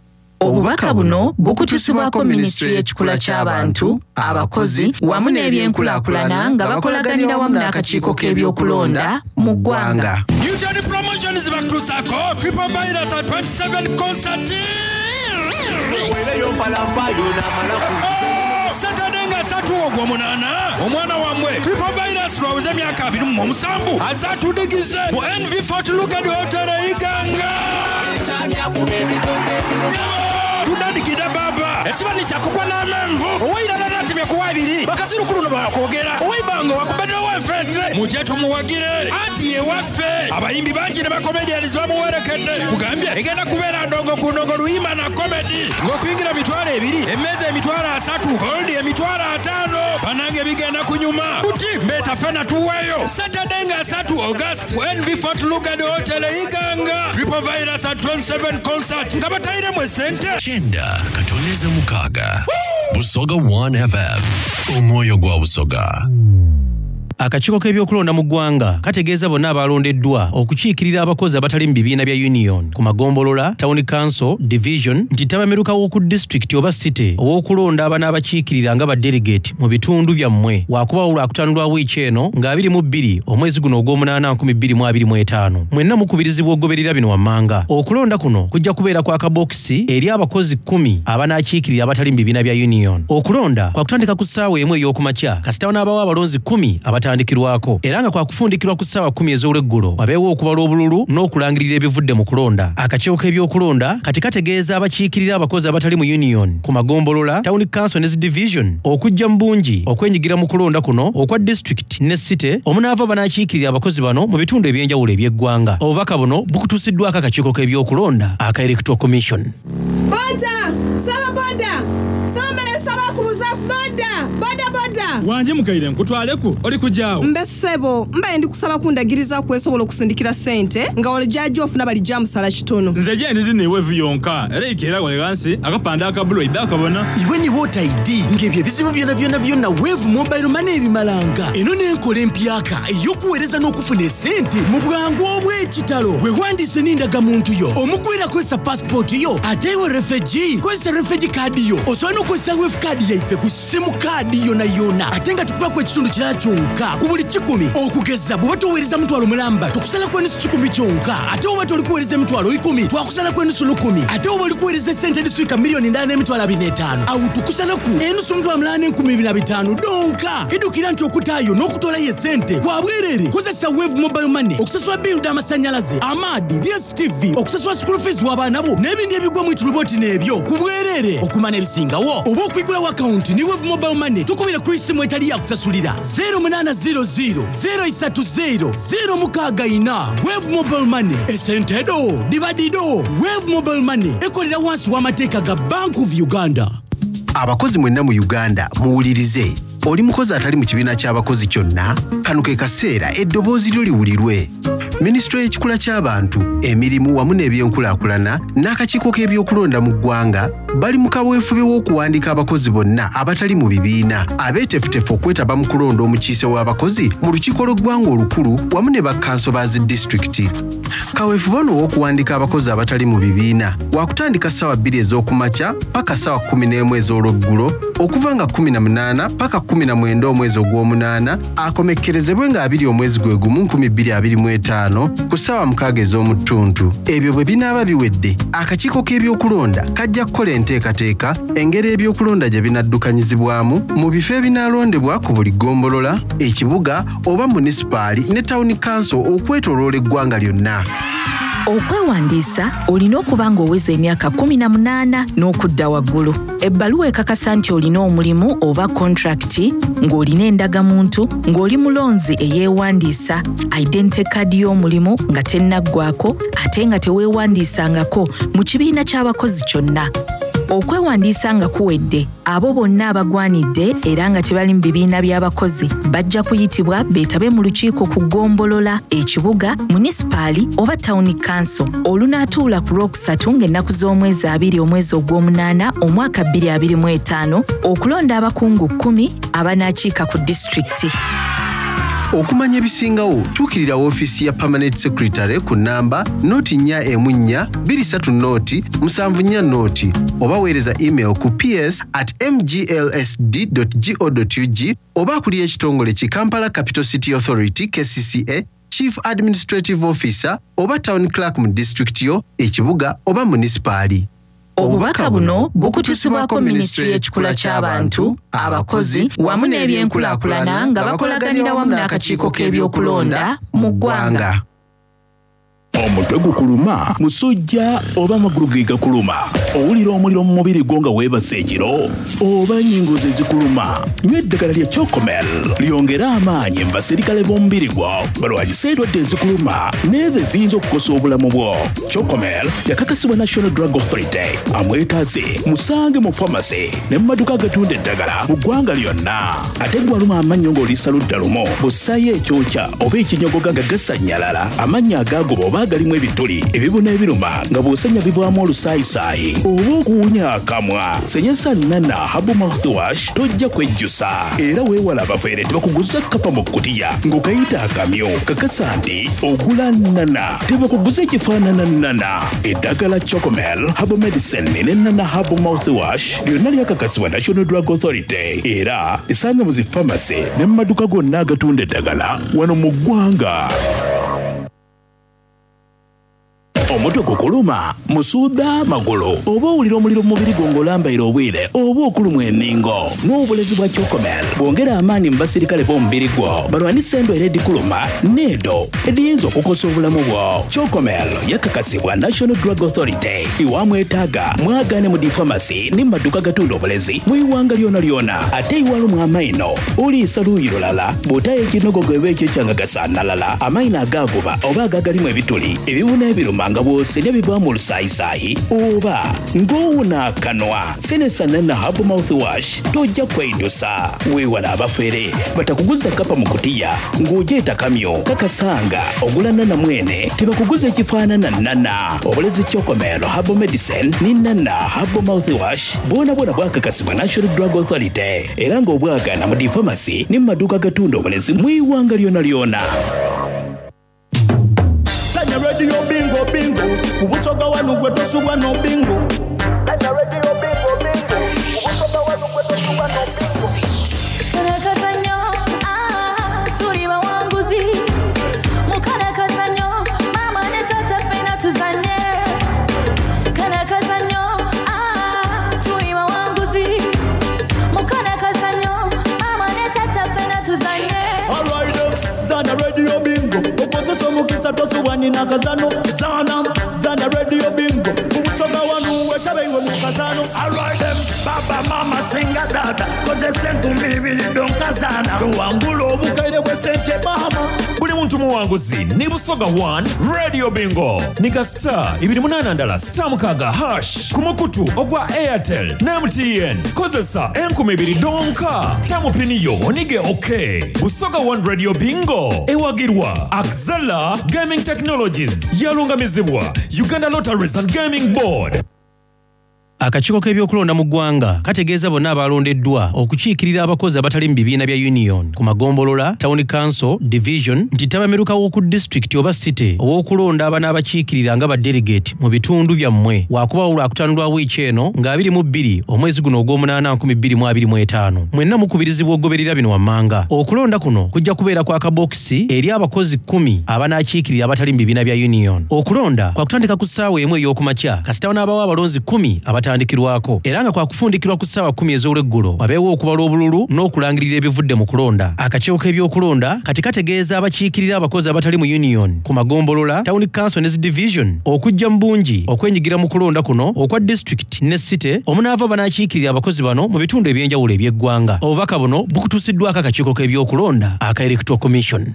Obubaka buno bukutusibwako Minisitule y'Ekikula ky'Abantu, abakozi wamu n'ebyenkulaakulana nga bakolaganira wamu n'akakiiko k'ebyokulonda mu ggwanga. Newton Promotions bakutuusaako Triple Virus at twenty-seven concert. Saturday nga ssatu ogw'omunaana omwana wammwe Triple Virus lwaweze emyaka abiri mu omusanvu azatudigize mu N V Fort Lugard Hotel e Iganga. Tudandikidde baba ekibani kyakukwa n'amenvu ow'eirala natemya kuwa abiri bakazirukulu no bakwogera ow'eibango wakubaddewo enfente mujje tumuwagire anti ye waffe abayimbi bangi ne bakomedians bamuwerekedde kugambye egenda kubeera ndongo ku ndongo luyimba na komedi ng'okuyingira mitwalo ebiri emmeeza emitwalo asatu goldi emitwalo ataano bannange bigenda kunyuma kuti mbeeta ffena tuweeyo Saturday nga asatu August ku N V Fort Lugard Hotel e Iganga Triple Virus at twenty-seven concert nga batayiremu essente. Kyenda katoneze mukaaga Busoga one F M omwoyo gwa Busoga. Akakiiko k'ebyokulonda mu ggwanga kategeeza bonna abalondeddwa okukiikirira abakozi abatali mu bibiina bya union ku magombolola, town council, division nti ttabamiruka w'oku disitulikiti oba city ow'okulonda abanaabakiikirira nga ba delegate mu bitundu byammwe waakubaawo Lwakutaano lwa wiiki eno nga abiri mu bbiri omwezi guno ogw'omunaana nkumi bbiri mu abiri mu etaano. Mwenna mukubirizibwa okugoberera bino wammanga. Okulonda kuno kujja kubeera kwa kabokisi eri abakozi kkumi abanaakiikirira abatali mu bibiina bya union. Okulonda kwa kutandika ku ssaawa emu ey'okumakya kasita wanaabawo abalonzi kkumi abatandikirwako era nga kwa kufundikirwa ku ssaawa kkumi ez'olweggulo wabeewo okubala obululu n'okulangirira ebivudde mu kulonda. Akakiiko k'ebyokulonda kati kategeeza abakiikirira abakozi abatali mu union ku magombolola, town council ne division okujja mu bungi okwenyigira mu kulonda kuno okwa district ne city omunaava banaakiikirira abakozi bano mu bitundu ebyenjawulo eby'eggwanga. Obubaka buno bukutuusiddwako akakiiko k'ebyokulonda aka Electoral Commission. Boda! Saba boda! Saba saba kubuza boda! Boda boda! Wanje mukaire nkutwaleku oli kujaawo. Mbe ssebo mbaye ndi kusaba kundagiriza kwesobola okusindikira ssente nga olijaajo ofuna balijja musala kitono. Nze je ndidi ne wevu yonka era ikera wale gansi akapanda akabulo idda akabona. Iwe ni water I D ng'ebyo ebizibu byonna byonna byonna Wave Mobile Money ebimalanga. Eno n'enkola empyaka ey'okuweereza n'okufuna essente mu bwangu obw'ekitalo. Weewandiise n'endagamuntu yo, omukwira kozesa passport yo, ate iwe refugee kozesa refugee card yo. Osobola n'okukozesa Wave card yaife ku simu card yonna yonna ate nga tukubako ekitundu kirala kyonka ku buli kikumi. Okugeza bw'oba toweereza mutwalo mulamba tukusalako enusu kikumi kyonka, ate bw'oba tolikuweereza emitwalo ikumi twakusalako enusu lukumi, ate bw'oba olikuweereza essente ediswika miliyoni ndala n'emitwalo abiri n'etaano awo tukusalaku enusu mutwalo mulala n'enkumi ebiri na bitaano donka. Idukira nti okutaayo n'okutolayo essente kwa bwereere. Kozesa Wave Mobile Money okusasula biiru d'amasannyalaze, amaadi, D S T V, okusasula school fees w'abaana bo n'ebindi ebigwa mu itulubooti n'ebyo ku bwereere. Okumanya ebisingawo oba okwigulawo akawunti ne Wave Mobile Money tukubire ku isimu etali ya kusasulira zero munaana zero zero zero isatu zero zero mukaaga ina. Wave Mobile Money esente do dibadido. Wave Mobile Money ekolera wansi w'amateeka ga Bank of Uganda. Abakozi mwenna mu Uganda muwulirize. Oli mukozi atali mu kibiina ky'abakozi kyonna? Kano ke kaseera eddoboozi lyo liwulirwe. Minisitule y'ekikula ky'abantu, emirimu wamu n'ebyenkulaakulana n'akakiiko k'ebyokulonda mu ggwanga bali mu kaweefube w'okuwandiika abakozi bonna abatali mu bibiina abeeteefuteefu okwetaba mu kulonda omukiise w'abakozi mu lukiiko lw'eggwanga olukulu wamu ne bakkanso ba zi disitulikiti. Kaweefube ono ow'okuwandiika abakozi abatali mu bibiina wakutandika ssaawa bbiri ez'okumakya paka ssaawa kkumi n'emu ez'olweggulo okuva nga kkumi na munaana paka kkumi na mwenda omwezi ogw'omunaana akomekkerezebwe nga abiri omwezi gwe gumu nkumi bbiri abiri mu etaano ku ssaawa mukaaga ez'omu ttuntu. Ebyo bwe binaaba biwedde, akakiiko k'ebyokulonda kajja kukola enteekateeka engeri ebyokulonda gye binaddukanyizibwamu mu bifo ebinaalondebwa ku buli ggombolola, ekibuga oba munisipaali ne tawuni kanso okwetooloola eggwanga lyonna. Okwewandiisa olina okuba ng'oweza emyaka kkumi na munaana n'okudda waggulu. Ebbaluwa ekakasa nti olina omulimu oba kontrakiti, ng'olina endagamuntu, ng'oli mulonzi eyeewandiisa, identity card y'omulimu nga tennaggwako ate nga teweewandiisangako mu kibiina ky'abakozi kyonna. Okwewandiisa nga kuwedde, abo bonna abagwanidde era nga tebali mu bibiina by'abakozi bajja kuyitibwa beetabe mu lukiiko ku ggombolola, ekibuga, munisipaali oba tawuni kanso olunaatuula ku Lwokusatu ng'ennaku z'omwezi abiri omwezi ogw'omunaana omwaka bbiri abiri mu etaano okulonda abakungu kkumi abanaakiika ku disitulikiti. Okumanya ebisingawo tuukirira woofiisi ya Permanent Secretary ku nnamba noti nnya emu nnya bbiri ssatu noti musanvu nnya noti oba weereza email ku ps at mglsd go ug oba akulira ekitongole ki Kampala Capital City Authority K C C A, Chief Administrative Officer oba Town Clerk mu disitulikiti yo, ekibuga oba munisipaali. Obubaka buno bukutusibwako Minisitule y'Ekikula ky'Abantu, abakozi wamu n'ebyenkulaakulana nga bakolaganira wamu n'akakiiko k'ebyokulonda mu ggwanga. Omutwe gukuluma, musujja oba amagulu ge gakuluma, owulira omuliro mu mubiri gwo nga weebase ekiro, oba ennyingo ze zikuluma, nywa eddagala lya Chocomel lyongere amaanyi mu baserikale b'omubiri gwo balwanyise endwadde ezikuluma n'ezo eziyinza okukosa obulamu bwo. Chocomel yakakasibwa National Drug Authority. Amwetaaze musange mu pharmacy ne mu maduuka agatunda eddagala mu ggwanga lyonna. Ate gw'aluma amannyo ng'oliisa ludda lumu, bw'ossaayo ekyokya oba ekinyogoga nga gasannyalala, amannyo agaagoba oba agalimu ebituli, ebibuna ebiruma nga bw'osenya bivaamu olusaayisaayi oba okuwunya akamwa. Senyesa Nana Herbal Mouthwash tojja kwejjusa. Era weewala abafeere tebakuguza kkapa mu kkutiya ng'okayita akamyu. Kakasa nti ogula Nana, tebakuguza ekifaanana Nana. Eddagala Chocomel Herbal Medicine ne Nana Herbal Mouthwash lyonna lyakakasibwa National Drug Authority era esanga mu zi pharmacy ne mu maduuka gonna agatunda eddagala wano mu ggwanga. Omutwe gukuluma, musuuda magulu, oba owulira omuliro mu mubiri gwo ng'olambaira obwire oba okulumwa enningo. N'obulezi bwa Chocomel bwongera amaanyi mu basirikale b'omubiri gwo balwanise endwaire edikuluma n'edo ediyinza okukosa obulamu bwo. Chocomel yakakasibwa National Drug Authority. Iwamwetaaga mwagaane mu difamasi ne mu maduuka agatunda obulezi mu iwanga lyona lyona. Ate iwalumwa amaino oliisa luuyi lulala bw'otayo ekinogogo eba ekyo ekyangagasaanalala, amaino agaaguba oba agagalimu ebituli, ebibuna ebiruma nga bw'osenya bivaamu olusaayisaayi oba ng'owuna akanwa. Senesa Nana Herbal Mouthwash tojja kweidusa. Weewala abafere batakuguza kkapa mu kutiya ng'ogyeta kamyu. Kakasanga ogula Nana mwene tebakuguza ekifaanana Nana. Obulezi Chocomel Herbal Medicine ne Nana Herbal Mouthwash bwona bwona bwakakasibwa National Drug Authority era ng'obwagaana mu difamasi ne mu maduuka agatunda obulezi mu iwanga lyona lyona. Radio bingo bingo, kubusoga wanu gwe tosubwa no bingo. Radio bingo bingo, kubusoga wanu gwe tosubwa no bingo. Karakazanyo, ah, tuli bawanguzi. Mukarakazanyo, mama ne tata fena tuzanye. Karakazanyo, ah, tuli bawanguzi. Mukarakazanyo, mama ne tata fena tuzanye. All right, zana radio bingo. Okozesa omukisa tosubwa nina kazano. Zana, zana radio bingo. Kubusoga wanu wetabe iwe mu kazano. All right them, baba mama singa dada. Kozesa enkumbi ibiri donkazana. Tuwangula obukaire bwe sente mama. Buli Muntu muwanguzi ni Busoga one Radio Bingo. Nika star ibiri munana ndala star mukaga hash ku mukutu ogwa Airtel ne M T N. Kozesa enkumi ibiri donka. Tamu piniyo onige okay. Busoga one Radio Bingo. Ewagirwa Axela Gaming Technologies. Yalungamizibwa Uganda Lotteries and Gaming Board. Akakiiko k'ebyokulonda mu ggwanga kategeeza bonna abalondeddwa okukiikirira abakozi abatali mu bibiina bya union ku magombolola, town council, division nti ttabamiruka w'oku disitulikiti oba city ow'okulonda abanaabakiikirira nga ba delegate mu bitundu byammwe waakubaawo lwakutaano lwa wiiki eno nga abiri mu bbiri omwezi guno ogw'omunaana nkumi bbiri mu abiri mu etaano. Mwenna mukubirizibwa okugoberera bino wammanga. Okulonda kuno kujja kubeera kwa kabokisi eri abakozi kkumi abanaakiikirira abatali mu bibiina bya union. Okulonda kwakutandika ku ssaawa emu ey'okumakya kasita wanaabawo abalonzi kkumi abatandikirwako era nga kwakufundikirwa ku ssaawa kkumi ez'olweggulo wabeewo okubala obululu n'okulangirira ebivudde mu kulonda. Akakiiko k'ebyokulonda kati kategeeza abakiikirira abakozi abatali mu union ku magombolola, town council ne division okujja mu bungi okwenyigira mu kulonda kuno okwa district ne city omunaava banaakiikirira abakozi bano mu bitundu eby'enjawulo eby'eggwanga. Obubaka buno bukutuusiddwako akakiiko k'ebyokulonda aka Electoral Commission.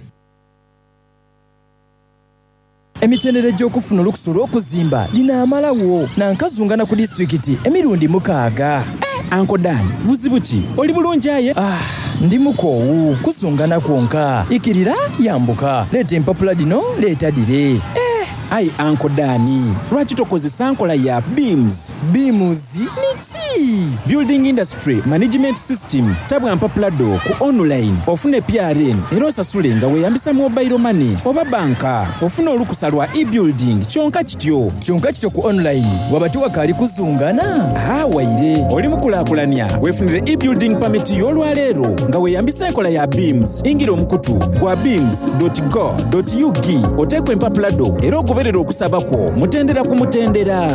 Emitendera egy'okufuna olukusa olw'okuzimba linaamalawo nankazungana ku disitulikiti emirundi mukaaga. Uncle Dan, buzibu ki? Oli bulungi aye? Ah, ndi mukoowu kuzungana kwonka. Ikirira yambuka, leeta empapula dino, leeta dire. Eh, ayi Uncle Dan, lwaki tokozesa nkola ya BIMS? BIMS niki? Building Industry Management System. Tabwa mpapula do ku online, ofune P R N era osasule nga weeyambisa mobile money oba banka. Ofune olukusa lwa e-building kyonka kityo. Kyonka kityo ku online waba tewakaali kuzungana? Ah, waire oli mukulaakulanya weefunire e-building permit y'olwaleero nga weeyambisa enkola ya BIMS. Ingira omukutu gwa bims dot go dot U G oteekwa empapula do era ogoberera okusaba kwo mutendera ku mutendera.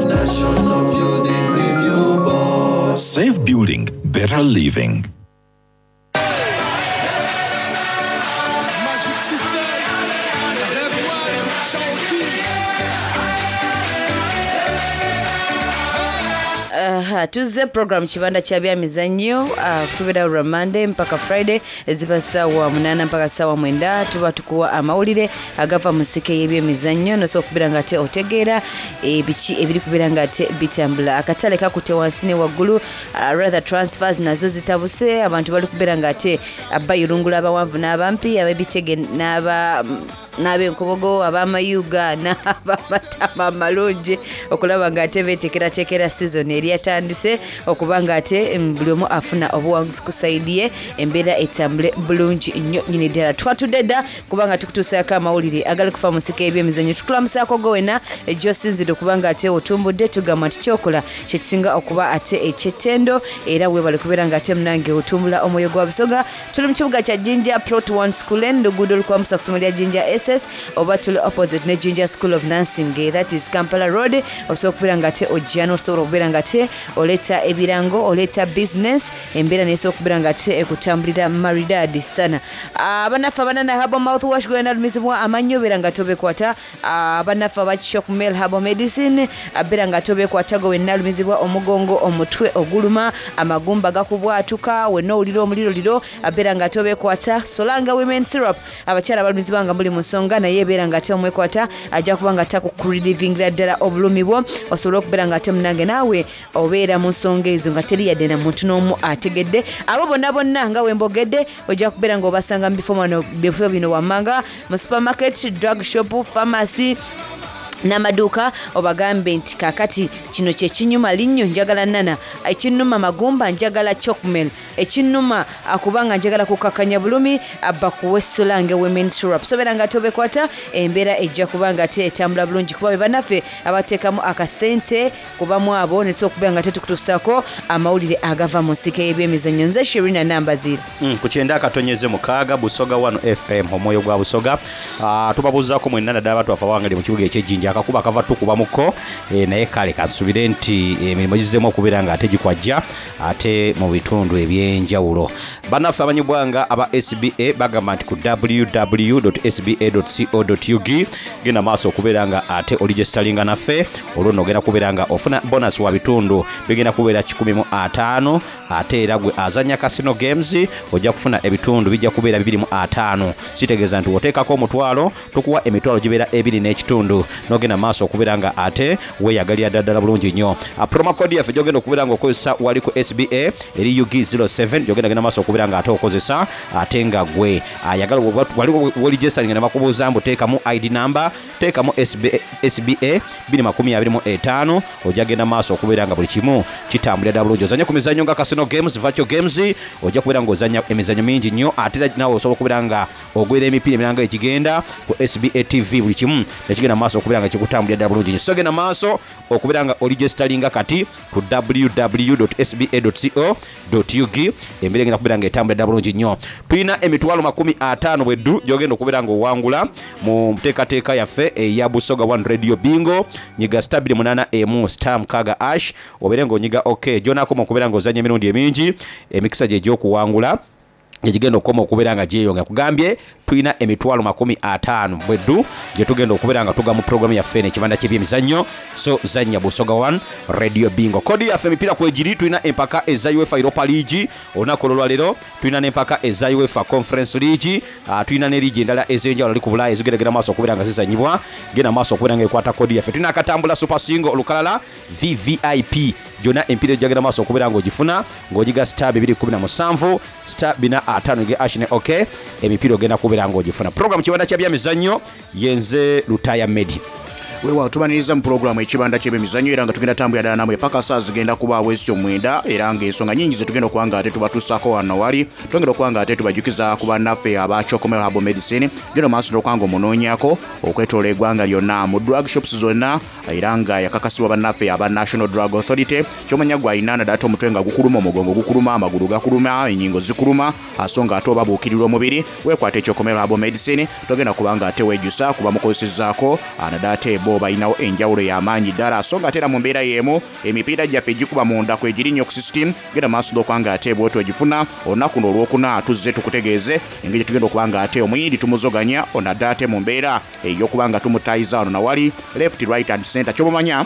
National Building Review Board. Safe building, better living. Aha, tuzze program kibanda kya byamizannyo uh, tubeera lwa Monday mpaka Friday ziba ssaawa munaana mpaka ssaawa mwenda tuba tukuwa amawulire agava mu nsike y'ebyemizannyo nosobola okubeera nga ate otegeera ebiki ebiri kubeera nga ate bitambula. Akatale kakutte wansi ne waggulu, uh, rather transfers nazo zitabuse, abantu bali kubeera nga ate bayulungula abawanvu n'abampi, ab'ebitege n'aba n'ab'enkobogo, ab'amayuga n'abamatama amalungi okulaba nga ate beetekerateekera season eri yatandise okuba nga ate buli omu afuna obuwanguzi ku sayidi ye, embeera etambule bulungi nnyo nnyini ddala. Twatudde dda kubanga tukutuusaako amawulire agali kufa mu nsiko y'ebyemizannyo. Tukulamusaako gwe wenna gy'osinzidde okuba nga ate otumbudde, tugamba nti kyokola kye kisinga okuba ate eky'ettendo era weebale kubeera nga ate munange otumbula omwoyo gwa Busoga. Tuli mu kibuga kya Jinja, Plot one School End, luguudo olukwambusa ku ssomero lya Jinja S S oba tuli opposite ne Jinja School of Nursing, that is Kampala Road. Osobola okubeera nga ate ojja n'osobola okubeera nga ate oleeta ebirango, oleeta business, embeera neesobola okubeera nga ate ekutambulira maridadi sana. Abannaffe abanana herbal mouthwash gwena alumizibwa amannyo beera nga tobekwata. Abannaffe aba Chocmel herbal medicine beera nga tobekwata gwe wenna alumizibwa omugongo, omutwe oguluma, amagumba gakubwatuka, wenna owulira omuliroliro beera nga tobekwata. Solanga women syrup, abakyala abalumizibwa nga muli mu nsonga naye beera nga ate omwekwata ajja kuba nga takukurelivingira ddala obulumi bwo, osobola okubeera nga ate munange naawe obeera mu nsonga ezo nga teri yadde na muntu n'omu ategedde. Abo bonna bonna nga wembogedde ojja kubeera ng'obasanga mu bifo bano, bifo bino wammanga mu supermarket, drug shop, pharmacy n'amaduuka, obagambe nti kaakati kino kye kinyuma linnyo njagala nana, ekinnuma magumba njagala Chocmel, ekinnuma kubanga njagala kukakanya bulumi bakuwe Solange women syrup. So beera nga tobekwata, embeera ejja kuba nga ate etambula bulungi kuba be bannaffe abateekamu akasente kubamu abo ne tusobola okubeera nga tetukutuusaako amawulire agava mu nsiko y'ebyemizannyo. Nze Shirina Nambaziira. Mm, ku kyenda akatonyeze mukaaga Busoga one F M omwoyo gwa Busoga. Uh, tubabuuzaako mwenna naddala abantu baffe abawangalire mu kibuga eky'Ejjinja. Akakuba akava tukubamuko e, naye kale kansubire nti emirimu gizzemu okubeera nga ate gikwajja ate mu bitundu ebyenjawulo. Bannaffe abanyibwanga aba S B A bagamba nti ku w w w dot s b a dot co dot u g genda maaso okubeera nga ate oligestalinga naffe, olwo nno ogenda kubeera nga ofuna bonus wa bitundu bigenda kubeera kikumi mu ataano, ate era gwe azannya casino games ojja kufuna ebitundu bijja kubeera bibiri mu ataano. Kitegeeza nti oteekako omutwalo tukuwa emitwalo gibeera ebiri n'ekitundu, n'ogenda maaso okubeera nga ate weeyagalira ddala ddala bulungi nnyo. Promo code yaffe gy'ogenda okubeera ng'okozesa wali ku S B A eri U G zero seven, gy'ogenda genda maaso okubeera nga ate okozesa, ate nga gwe ayagala wali weregisteringa ne bakubuuza mbu teekamu I D number, teekamu S B A, S B A bbiri makumi abiri mu etaano, ojja genda maaso okubeera nga buli kimu kitambulira ddala bulungi. Ozannya ku mizannyo nga casino games, virtual games, ojja kubeera ng'ozannya emizannyo mingi nnyo, ate era naawe osobola okubeera nga ogwera emipiira emirala nga egigenda ku S B A T V, buli kimu nekigenda maaso okubeera nga kikutambulira ddala bulungi nnyo. So genda maaso okubeera nga oregisteringa kati ku w w w dot s b a dot co dot u g, embeera egenda kubeera nga etambulira ddala bulungi nnyo. Tulina emitwalo makumi ataano bweddu gy'ogenda okubeera ng'owangula mu nteekateeka yaffe eya Busoga One Radio Bingo. Nyiga star bbiri munaana emu star mukaaga ash, obeere ng'onyiga okay. Gy'onaakoma okubeera ng'ozannya emirundi emingi, emikisa gye egy'okuwangula gyegigenda okukoma okubeera nga gyeyongera. Kugambye tulina emitwalo makumi ataano bweddu gye tugenda okubeera nga tuga mu programu yaffe eno ekibanda ky'ebyemizannyo. So zannya Busoga One Radio Bingo. Kodi yaffe emipiira kwegiri, tulina empaka eza UEFA Europa League olunaku olwaleero, tulina n'empaka eza UEFA Conference League, ah, tulina ne liigi endala ez'enjawulo ali ku Bulaaya ezigendagenda maaso okubeera nga zizannyibwa. Genda maaso okubeera nga ekwata kodi yaffe. Tulina akatambula Super Single olukalala V V I P, gyonna emipiira egyagenda maaso okubeera ng'ogifuna ng'ogiga star bibiri kumi na musanvu star bina ataano ge ash ne okay, emipiira ogenda kubeera ng'ogifuna. Program kibanda kya byamizannyo yenze Lutaya Medi. Weewaawo tubaniriza mu pulogulaamu ekibanda ky'ebyemizannyo, era nga tugenda tambulira ddala namwe paka saa zigenda kubaawo ezityo mwenda, era ng'ensonga nnyingi ze tugenda okuba nga ate tubatuusaako wano wali. Twongera okuba nga ate tubajukiza ku bannaffe aba Chocomel Herbal Medicine, genda maaso n'okuba nga omunoonyaako okwetoloola eggwanga lyonna mu drug shops zonna, era nga yakakasibwa bannaffe aba National Drug Authority. Ky'omanya gwe alina naddala ate omutwe nga gukuluma, omugongo gukuluma, amagulu gakuluma, ennyingo zikuluma, so nga ate oba buukirirwa omubiri, weekwate Chocomel Herbal Medicine, togenda kuba nga ate weejjusa kuba mukozesezzaako naddala ate bo balinawo enjawulo y'amaanyi ddala. So nga ate era mu mbeera y'emu emipiira gyaffe egikuba munda kwegiri nnyo ku system, genda maaso n'okuba nga ate bw'otyo ogifuna. Olunaku luno olwokuna tuzze tukutegeeze engeri gye tugenda okuba nga ate omuyindi tumuzoganya onadde ate mu mbeera ey'okuba nga tumutayiza wano nawali left, right and center. Ky'omumanya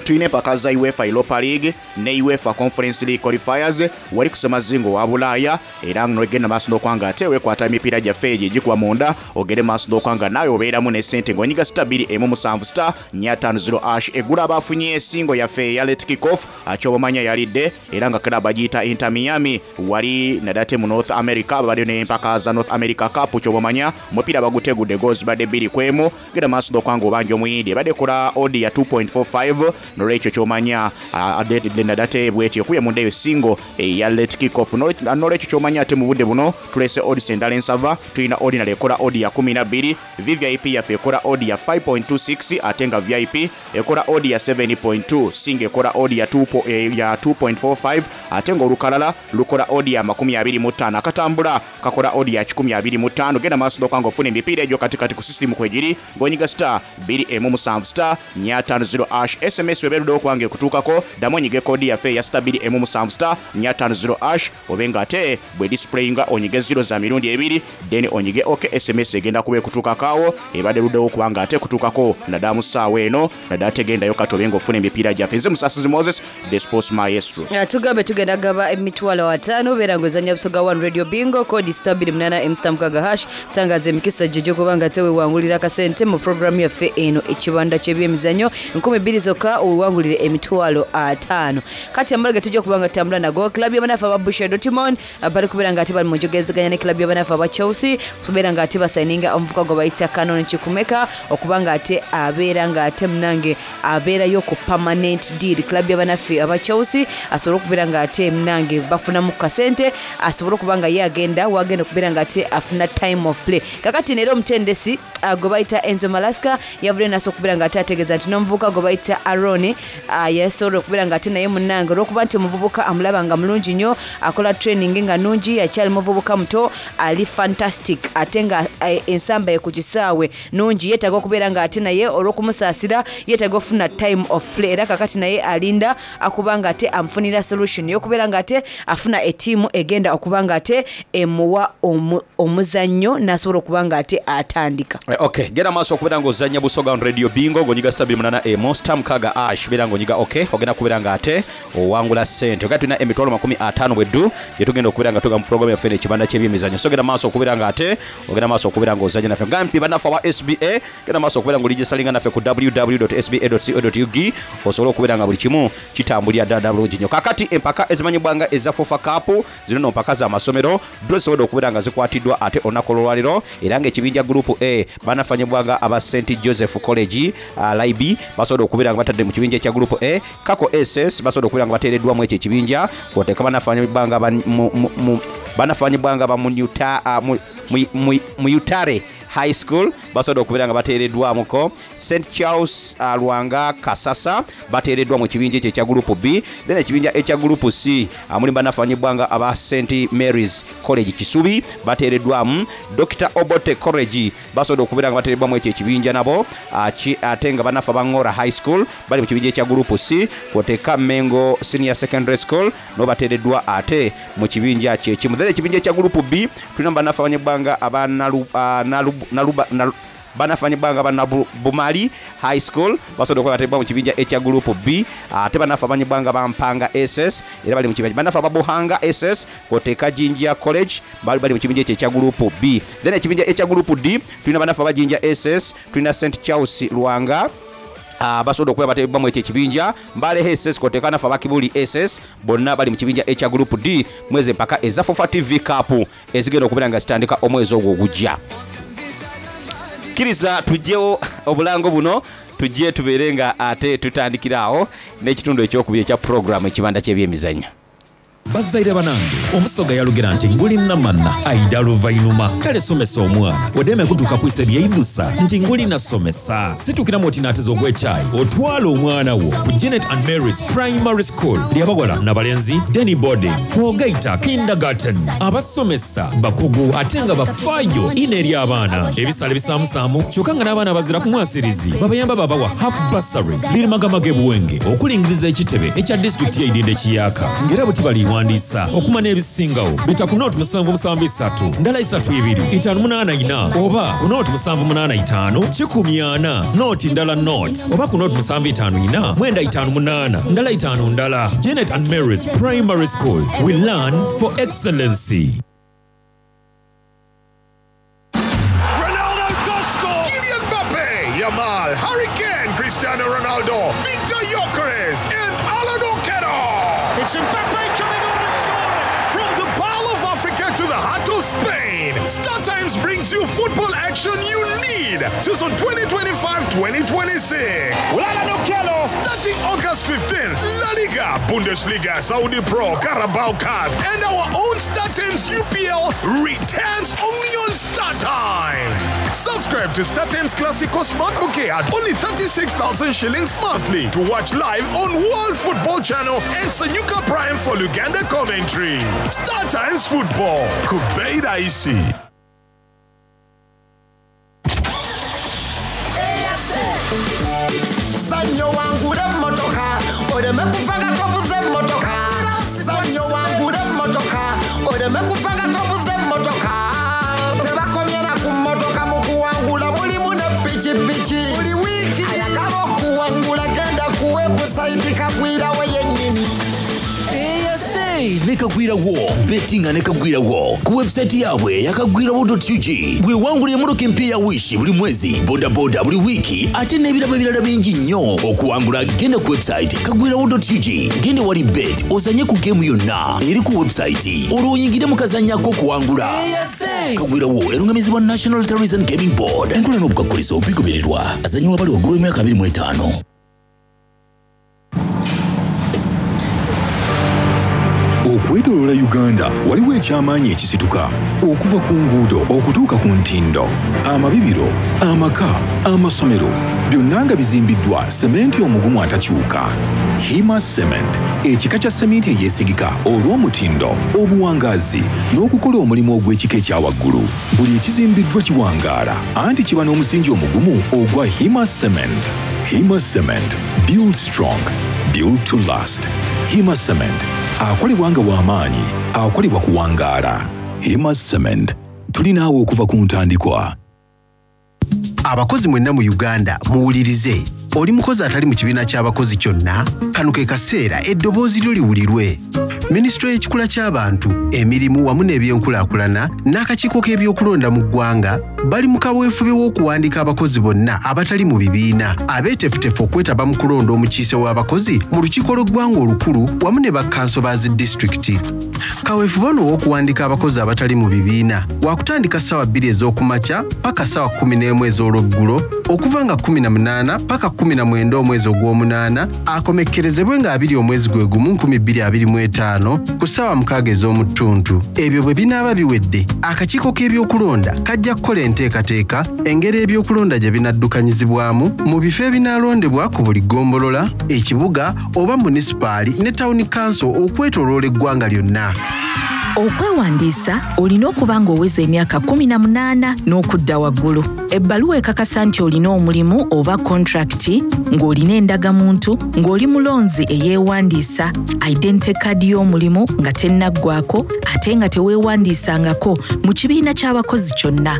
tulina empaka za UEFA Europa League ne UEFA Conference League qualifiers wali ku ssemazingo wa Bulaaya, era n'ogenda maaso n'okuba nga ate weekwata emipiira gyaffe egyo egikuba munda, ogende maaso n'okuba nga naawe obeeramu ne ssente ng'onyiga star bbiri emu musanvu star nnya ttaano zero ash. Eggulo abaafunye ensingo yaffe eya late kick off, ky'obamanya yalidde, era nga club bagiyita Inter Miami wali naddala ate mu North America, babadde n'empaka za North America Cup. Ky'obamanya omupiira bagutegudde goals zibadde bbiri ku emu. Genda maaso n'okuba nga obanja omuyindi, ebadde ekola odd ya two point four five, nolwekyo ky'omanya, ah, naddala bw'etyo ekubye munda eyo singo eya late kick off. Nolwekyo ky'omanya ate mu budde buno tulese odds endala ensava, tulina ordinary ekola odd ya kumi na bbiri, V V I P yaffe ekola odd ya five point two six, ate nga V I P ekola odd ya seven point two, singo ekola odd ya two po-, eh, ya two point four five, ate ng'olukalala lukola odd ya makumi abiri mu ttaano, akatambula kakola odd ya kikumi abiri mu ttaano. Genda maaso n'okuba ng'ofuna emipiira egyo katikati ku system kwegiri, ng'onyiga star bbiri emu musanvu star nnya ttaano zero ash. S M S webeeruddewo okuba ng'ekutuukako, ddamu onyige koodi yaffe eya star bbiri emu musanvu star nnya ttaano zero ash, obe ng'ate bwe displayinga onyige zero za mirundi ebiri, then onyige okay. S M S egenda kuba ekutuukako awo, ebadde eruddewo okuba ng'ate ekutuukako naddala mu ssaawa eno, naddala tegendayo kati obe ng'ofuna emipiira gyaffe. Nze Musasizi Moses, the sports maestro. Ah, tugambe tugenda gaba emitwalo ataano, beera ng'ozannya Busoga One Radio Bingo, koodi star bbiri munaana emu star mukaaga hash. Tangaza emikisa gye gy'okuba nga teweewangulira akasente mu programu yaffe eno ekibanda ky'ebyemizannyo, nkumi bbiri zokka owangulire emitwalo ataano. Kati amala ge tujja okuba nga tutambula nago, club y'abanafu aba Borussia Dortmund bali kubeera nga ate bali mu njogezeganya ne club y'abanafu aba Chelsea, kubeera nga ate basayininga omuvuka gwe bayita Canon Chukwuemeka okuba nga ate abeera nga ate munange abeerayo ku permanent deal. Club y'abanafu aba Chelsea asobole okubeera nga ate munange bafunamu kasente, asobole okuba nga ye agenda wagenda okubeera nga ate afuna time of play. Kakati leero omutendesi, ah, gwe bayita Enzo Maresca yavudde n'asobola okubeera nga ate ategeeza nti n'omuvubuka gwe bayita Aaron season uh, yasobola okubeera nga ate naye munnange olw'okuba nti omuvubuka amulaba nga mulungi nnyo, akola training nga nungi, akyali muvubuka muto, ali fantastic, ate nga eh, ensamba ye ku kisaawe nungi. Yeetaaga okubeera nga ate naye olw'okumusaasira yeetaaga okufuna time of play, era kakati naye alinda akuba nga ate amufunira solution y'okubeera nga ate afuna ettiimu egenda okuba nga ate emuwa omu, omuzannyo n'asobola okuba nga ate atandika. Eh, okay, genda maaso okubeera ng'ozannya Busoga on Radio Bingo ng'onyiga star bbiri munaana emu star mukaaga ash, beera ng'onyiga okay, ogenda kubeera ng'ate owangula ssente. Ogenda tulina emitwalo makumi ataano bweddu gye tugenda okubeera nga tuga mu programu yaffe eno ekibanda ky'ebyemizannyo. So genda maaso okubeera ng'ate ogenda maaso okubeera ng'ozannya naffe. Gampi bannaffe aba S B A, genda maaso okubeera ng'oligisalinga naffe ku w w w S B A co U G osobole okubeera nga buli kimu kitambulira ddala ddala bulungi nnyo. Kaakati empaka ezimanyibwa nga eza FUFA Cup, zino no mpaka z'amasomero, draw zisobodde okubeera nga zikwatiddwa ate olunaku olwaleero, era ng'ekibinja Group A banafanyibwa nga aba Saint Joseph College uh, Laibi basobodde okubeera nga batadde mu kibinja ekya Group A. Kako S S basobodde okubeera nga bateereddwamu ekyo ekibinja, kwoteeka banafanyibwa nga ba- mu- mu- mu- banafanyibwa nga ba Munyuta- uh, mu- mu- mu- Muyutare High School basobodde okubeera nga bateereddwamuko. Saint Charles uh, Lwanga Kasasa bateereddwa mu kibinja ekyo ekya Group B. Then ekibinja ekya Group C uh, mulimu banafanyibwa nga aba Saint Mary's College Kisubi bateereddwamu. Doctor Obote College basobodde okubeera nga bateereddwamu ekyo ekibinja nabo, uh, ki- ate nga bannaffe abangora High School bali mu kibinja ekya Group C, kwoteeka Mengo Senior Secondary School nabo bateereddwa ate mu kibinja kyekimu. Then ekibinja ekya Group B tulina bannaffe abanyibwa nga aba Nalu- ah, Nalu- Naluba- Nalu- banafanyibwa nga banabumali High School basobodde okuba bateereddwa mu kibinja ekya Group B, ate bannaffe abanyibwa nga bampanga S S era bali mu kibinja, bannaffe ababuhanga S S kwoteeka Jinja College bali bali mu kibinja ekyo ekya Group B. Then ekibinja ekya Group D tulina bannaffe abajinja S S, tulina Saint Charles Lwanga Uh, basobodde okuba bateebwa mu ekyo ekibinja, Mbale S S kwoteeka naffe abakibuli S S bonna bali mu kibinja ekya Group D mwezi empaka eza FUFA T V Cup ezigenda okubeera nga zitandika omwezi ogwo ogujja. Kkiriza tugyewo obulango buno, tujje tubeere nga ate tutandikira awo n'ekitundu ekyokubiri ekya puroguramu ekibanda ky'ebyemizannyo. Bazzaire banange, omusoga yalugera nti nguli namanna aida luvainuma. Kale somesa omwana odeme kutuuka kwisa ebyeidusa nti nguli nasomesa. Situkiramu oti naateza ogw'ekyayi otwala omwana wo ku Janet and Marys Primary School lyabawala nabalenzi, day boarding kwogaita kindergarten. Abasomesa bakugu ate nga bafaayo ino eri abaana, ebisale bisaamusaamu kyokka nga n'abaana bazira ku mwasirizi babayamba babawa half bursary. Lirimagamaga ebuwenge okulingiriza ekitebe ekya disitulikiti y'eidinda ekiyaka, ng'era bwe tibaliwandiisa okumanya ebisingawo bita ku nooti musanvu musanvu isatu ndala isatu ibiri itaano munaana ina, oba ku nooti musanvu munaana itaano kikumi ana nooti ndala nooti, oba ku nooti musanvu itaano ina mwenda itaano munaana ndala itaano ndala. Janet and Marys Primary School, we learn for excellency. Ronaldo does score! Kylian Mbappe, Yamal, Harry Kane, Cristiano Ronaldo, Victor Gyökeres, and Alan Okello. It's Mbappe coming on and scoring! From the Pearl of Africa to the heart of Spain, Star Times brings you football action you need. Season twenty twenty-five twenty twenty-six. Alan Okello. Starting August fifteenth, La Liga, Bundesliga, Saudi Pro, Carabao Cup, and our own Star Times U P L returns only on Star Times. Subscribe to Star Times Classico Smart Bouquet at only thirty-six thousand shillings monthly to watch live on World Football Channel and Sanyuka Prime for Luganda commentary. Star Times Football. Kubeira Isi. Zanyo wangule emmotoka oleme kufa nga tovuze emmotoka. Zanyo wangule emmotoka oleme kufa nga tovuze emmotoka. Tebakomye na ku mmotoka, mu kuwangula mulimu ne pikipiki. Buli wiiki ayagala okuwangula genda ku webusayiti kagwirawo yennyini. Eyase ne Kagwirawo, bettinga ne Kagwirawo ku webusayiti yaabwe yakagwirawo ug. Bwewangula emmotoka empya ya Wish buli mwezi, bodaboda buli wiiki, ate n'ebirabo ebirala bingi nnyo. Okuwangula genda ku webusayiti kagwirawo ug, genda wali bet ozanye ku geemu yonna eri ku webusayiti, olwo oyingire mu kazanyo ak'okuwangula. Kagwirawo erungamizibwa National Lotteries and Gaming Board. Enkola n'obukakkulizo bigobererwa. Azanyiwa bali waggulu w'emyaka abiri mu etaano. Okwetooloola Uganda waliwo ekyamaanyi ekisituka okuva ku nguudo okutuuka ku ntindo, amabibiro, amaka, amasomero. Byonna nga bizimbiddwa sementi omugumu atakyuka. Hima Cement, ekika kya seminti eyeesigika olw'omutindo, obuwangaazi n'okukola omulimu ogw'ekika ekya waggulu. Buli ekizimbiddwa kiwangaala anti kiba n'omusingi omugumu ogwa Hima Cement. Hima Cement, build strong, build to last. Hima Cement, akolebwa nga w'amaanyi, akolebwa kuwangaala. Hima Cement, tuli naawe okuva ku ntandikwa. Abakozi mwenna mu Uganda muwulirize. Oli mukozi atali mu kibiina ky'abakozi kyonna, kano ke kaseera eddoboozi lyo liwulirwe. Minisitule y'ekikula ky'abantu, emirimu wamu n'ebyenkulaakulana n'akakiiko k'ebyokulonda mu ggwanga bali mu kaweefube w'okuwandiika abakozi bonna abatali mu bibiina abeeteefuteefu okwetaba mu kulonda omukiise w'abakozi mu lukiiko lw'eggwanga olukulu wamu ne bakkanso ba zi disitulikiti. Kaweefube ono ow'okuwandiika abakozi abatali mu bibiina wakutandika ssaawa bbiri ez'okumakya paka ssaawa kkumi n'emu ez'olweggulo okuva nga kkumi na munaana paka kkumi na mwenda omwezi ogw'omunaana akomekkerezebwe nga abiri omwezi gwe gumu nkumi bbiri abiri mu etaano ku ssaawa mukaaga ez'omu ttuntu. Ebyo bwe binaaba biwedde, akakiiko k'ebyokulonda kajja kukola enteekateeka engeri ebyokulonda gye binaddukanyizibwamu mu bifo ebinaalondebwa ku buli ggombolola, ekibuga oba munisipaali ne tawuni kanso okwetooloola eggwanga lyonna. Okwewandiisa olina okuba ng'oweza emyaka kkumi na munaana n'okudda waggulu. Ebbaluwa ekakasa nti olina omulimu oba kontrakiti, ng'olina endagamuntu, ng'oli mulonzi eyeewandiisa, identity card y'omulimu nga tennaggwako ate nga teweewandiisangako mu kibiina ky'abakozi kyonna.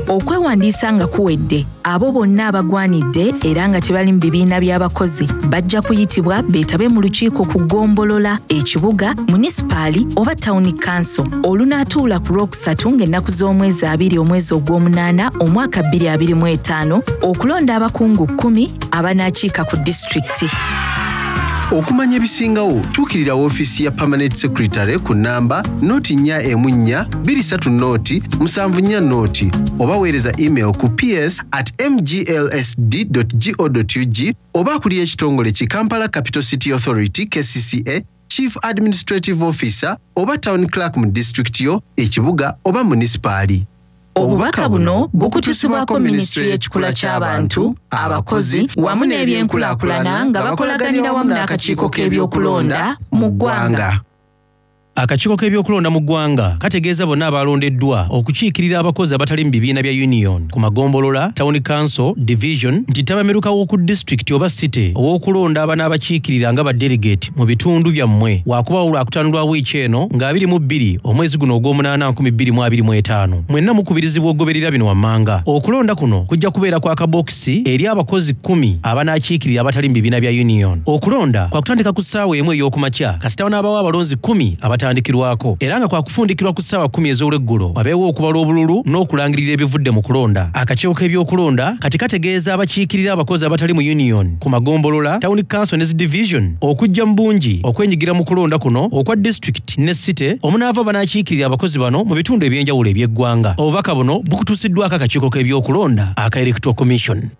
Okwewandiisa nga kuwedde, abo bonna abagwanidde era nga tebali mu bibiina by'abakozi bajja kuyitibwa beetabe mu lukiiko ku ggombolola, ekibuga, munisipaali oba tawuni kanso olunaatuula ku Lwokusatu ng'ennaku z'omwezi abiri omwezi ogw'omunaana omwaka bbiri abiri mu etaano okulonda abakungu kkumi abanaakiika ku disitulikiti. Okumanya ebisingawo tuukirira woofiisi ya Permanent Secretary ku nnamba noti nnya emu nnya bbiri ssatu noti musanvu nnya noti oba weereza email ku ps at mglsd go ug oba akulira ekitongole ki Kampala Capital City Authority K C C A, Chief Administrative Officer oba Town Clerk mu disitulikiti yo, ekibuga oba munisipaali. Obubaka buno bukutusibwako minisitule y'ekikula ky'abantu, abakozi wamu n'ebyenkulaakulana nga bakolaganira wamu n'akakiiko k'ebyokulonda mu ggwanga. Akakiiko k'ebyokulonda mu ggwanga kategeeza bonna abalondeddwa okukiikirira abakozi abatali mu bibiina bya union ku magombolola, town council, division nti ttabamiruka w'oku disitulikiti oba city ow'okulonda abanaabakiikirira nga ba delegate mu bitundu byammwe waakubaawo Lwakutaano lwa wiiki eno nga abiri mu bbiri omwezi guno ogw'omunaana nkumi bbiri mu abiri mu etaano. Mwenna mukubirizibwa okugoberera bino wammanga. Okulonda kuno kujja kubeera kwa kabokisi eri abakozi kkumi abanaakiikirira abatali mu bibiina bya union. Okulonda kwakutandika ku ssaawa emu ey'okumakya kasita wanaabawo abalonzi kkumi abatandikirwako era nga kwakufundikirwa ku ssaawa kkumi ez'olweggulo wabeewo okubala obululu n'okulangirira ebivudde mu kulonda. Akakiiko k'ebyokulonda kati kategeeza abakiikirira abakozi abatali mu union ku magombolola, town council ne zi division okujja mu bungi okwenyigira mu kulonda kuno okwa district ne city omunaava banaakiikirira abakozi bano mu bitundu eby'enjawulo eby'eggwanga. Obubaka buno bukutuusiddwako akakiiko k'ebyokulonda aka Electoral Commission.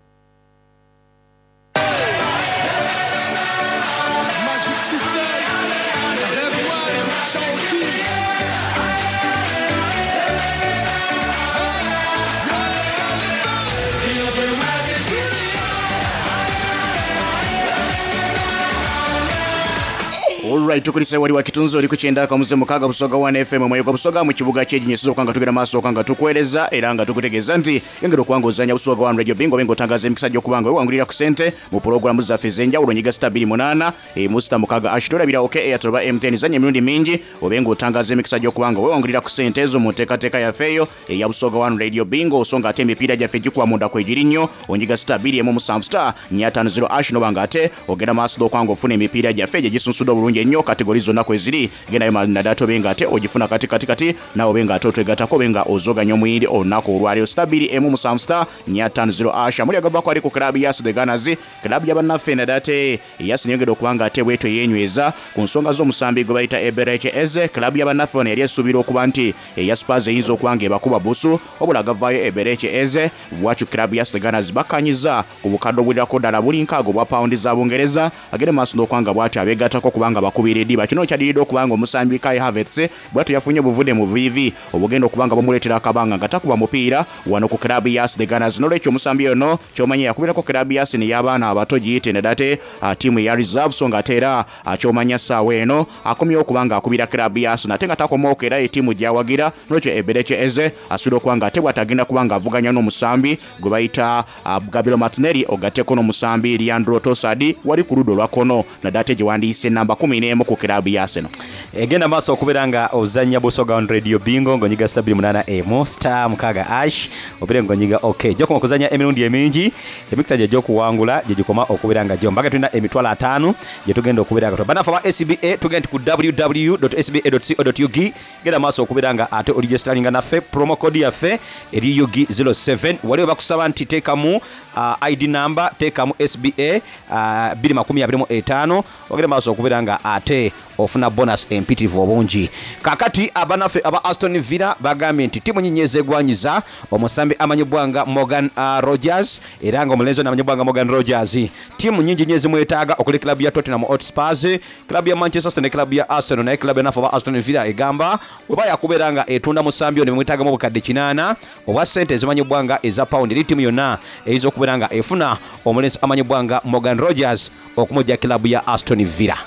Alright, tukulisa wali wa kitunzi oli ku kyenda akamuze mukaaga Busoga one F M omwoyo gwa Busoga mu kibuga ky'Ekinyeso okanga tugenda maaso okanga tukuweereza era nga tukutegeeza nti yongera okubanga ozannya Busoga one Radio Bingo bingo otangaza emikisa gy'okubanga wewangulira ku ssente mu pulogulaamu zaffe ez'enjawulo nyiga sita bbiri munaana emu sita mukaaga ash tolabira OK Airtel oba M T N zannya emirundi mingi obe ng'otangaza emikisa gy'okubanga wewangulira ku ssente ezo mu nteekateeka yaffe eyo eya Busoga one Radio Bingo so ng'ate emipiira gyaffe gikuba munda kwegiri nnyo onyiga sita bbiri emu musanvu sita nnya ttaano zero ash noba ng'ate ogenda maaso okubanga ofuna emipiira gyaffe gye gisunsudde obulungi ennyo kategori zonna kweziri gendayo naddala tobe ng'ate ogifuna kati kati kati naawe obe ng'ate otwegattako obe nga ozoganya omuyindi olunaku olwaleero sita bbiri emu musanvu sita nnya ttaano zero ash amuli agavaako ali ku club ya The Gunners club ya bannaffe naddala ate Yasi neyongedde okuba ng'ate bwetyo yeenyweza ku nsonga z'omusambi gwe bayita Eberechi Eze. Club ya bannaffe ono yali esuubira okuba nti eya Spurs eyinza okuba ng'ebakuba busu wabula agavaayo Eberechi Eze bwatyo club ya The Gunners bakkanyiza ku bukadde obuwererako ddala buli nkaaga obwa pawundi za Bungereza agende maaso n'okuba nga bw'atyo abeegattako kubanga abakubira ediba. Kino kyadiridde okuba nga omusambi Kai Havertz bwatyo yafunye obuvune mu vivi obugenda okuba nga bumuleetera akabanga nga takuba mupiira wano ku club ya The Gunners. Nolwekyo omusambi ono kyomanye yakubirako club ya Arsenal y'abaana abato giyite nedate ttiimu eya reserve, so nga ate era kyomanya ssaawa eno akomyewo okuba nga akubira club ya Arsenal ate nga takomawo era ettiimu gy'awagira. Nolwekyo Eberechi Eze asobola okuba nga ate bw'atagenda kuba nga avuganya n'omusambi gwe bayita Gabriel Martinelli ogatteko n'omusambi Leandro Trossard wali ku ludda olwa kkono naddala gye wandiise namba kumi n'emu ku club ya Arsenal. Egenda maaso okubeera nga ozannya Busoga on Radio Bingo ng'onyiga star bbiri munaana emu star mukaaga ash obeere ng'onyiga ok. Gyokoma okuzannya emirundi emingi, emikisa gye egy'okuwangula gye gikoma okubeera nga gyo mbaga tulina emitwalo ataano gye tugenda okubeera nga bannaffe aba S B A tugenda ku w w w dot s b a dot co dot u g. Genda maaso okubeera nga ate oligestalinga naffe promo code yaffe eri U G zero seven. Waliwo bakusaba nti teekamu, uh, I D number, teekamu S B A, uh, bbiri makumi abiri mu etaano, ogende maaso okubeera nga ate ofuna bonus empitirivu obungi. Kaakati abannaffe aba Aston Villa bagambye nti ttiimu nnyingi ezeegwanyiza omusambi amanyibwa nga Morgan, uh, Rogers, era nga omulenzi ono amanyibwa nga Morgan Rogers, ttiimu nnyingi nnyo ezimwetaaga okuli club ya Tottenham Hotspur, club ya Manchester City ne club ya Arsenal. Naye club ya aba Aston Villa egamba bwe bayakubeera nga etunda musambi ono emwetaagamu obukadde kinaana obwa ssente ezimanyibwa nga eza pound, eri ttiimu yonna eyinza okubeera nga efuna omulenzi amanyibwa nga Morgan Rogers okumujja club ya Aston Villa.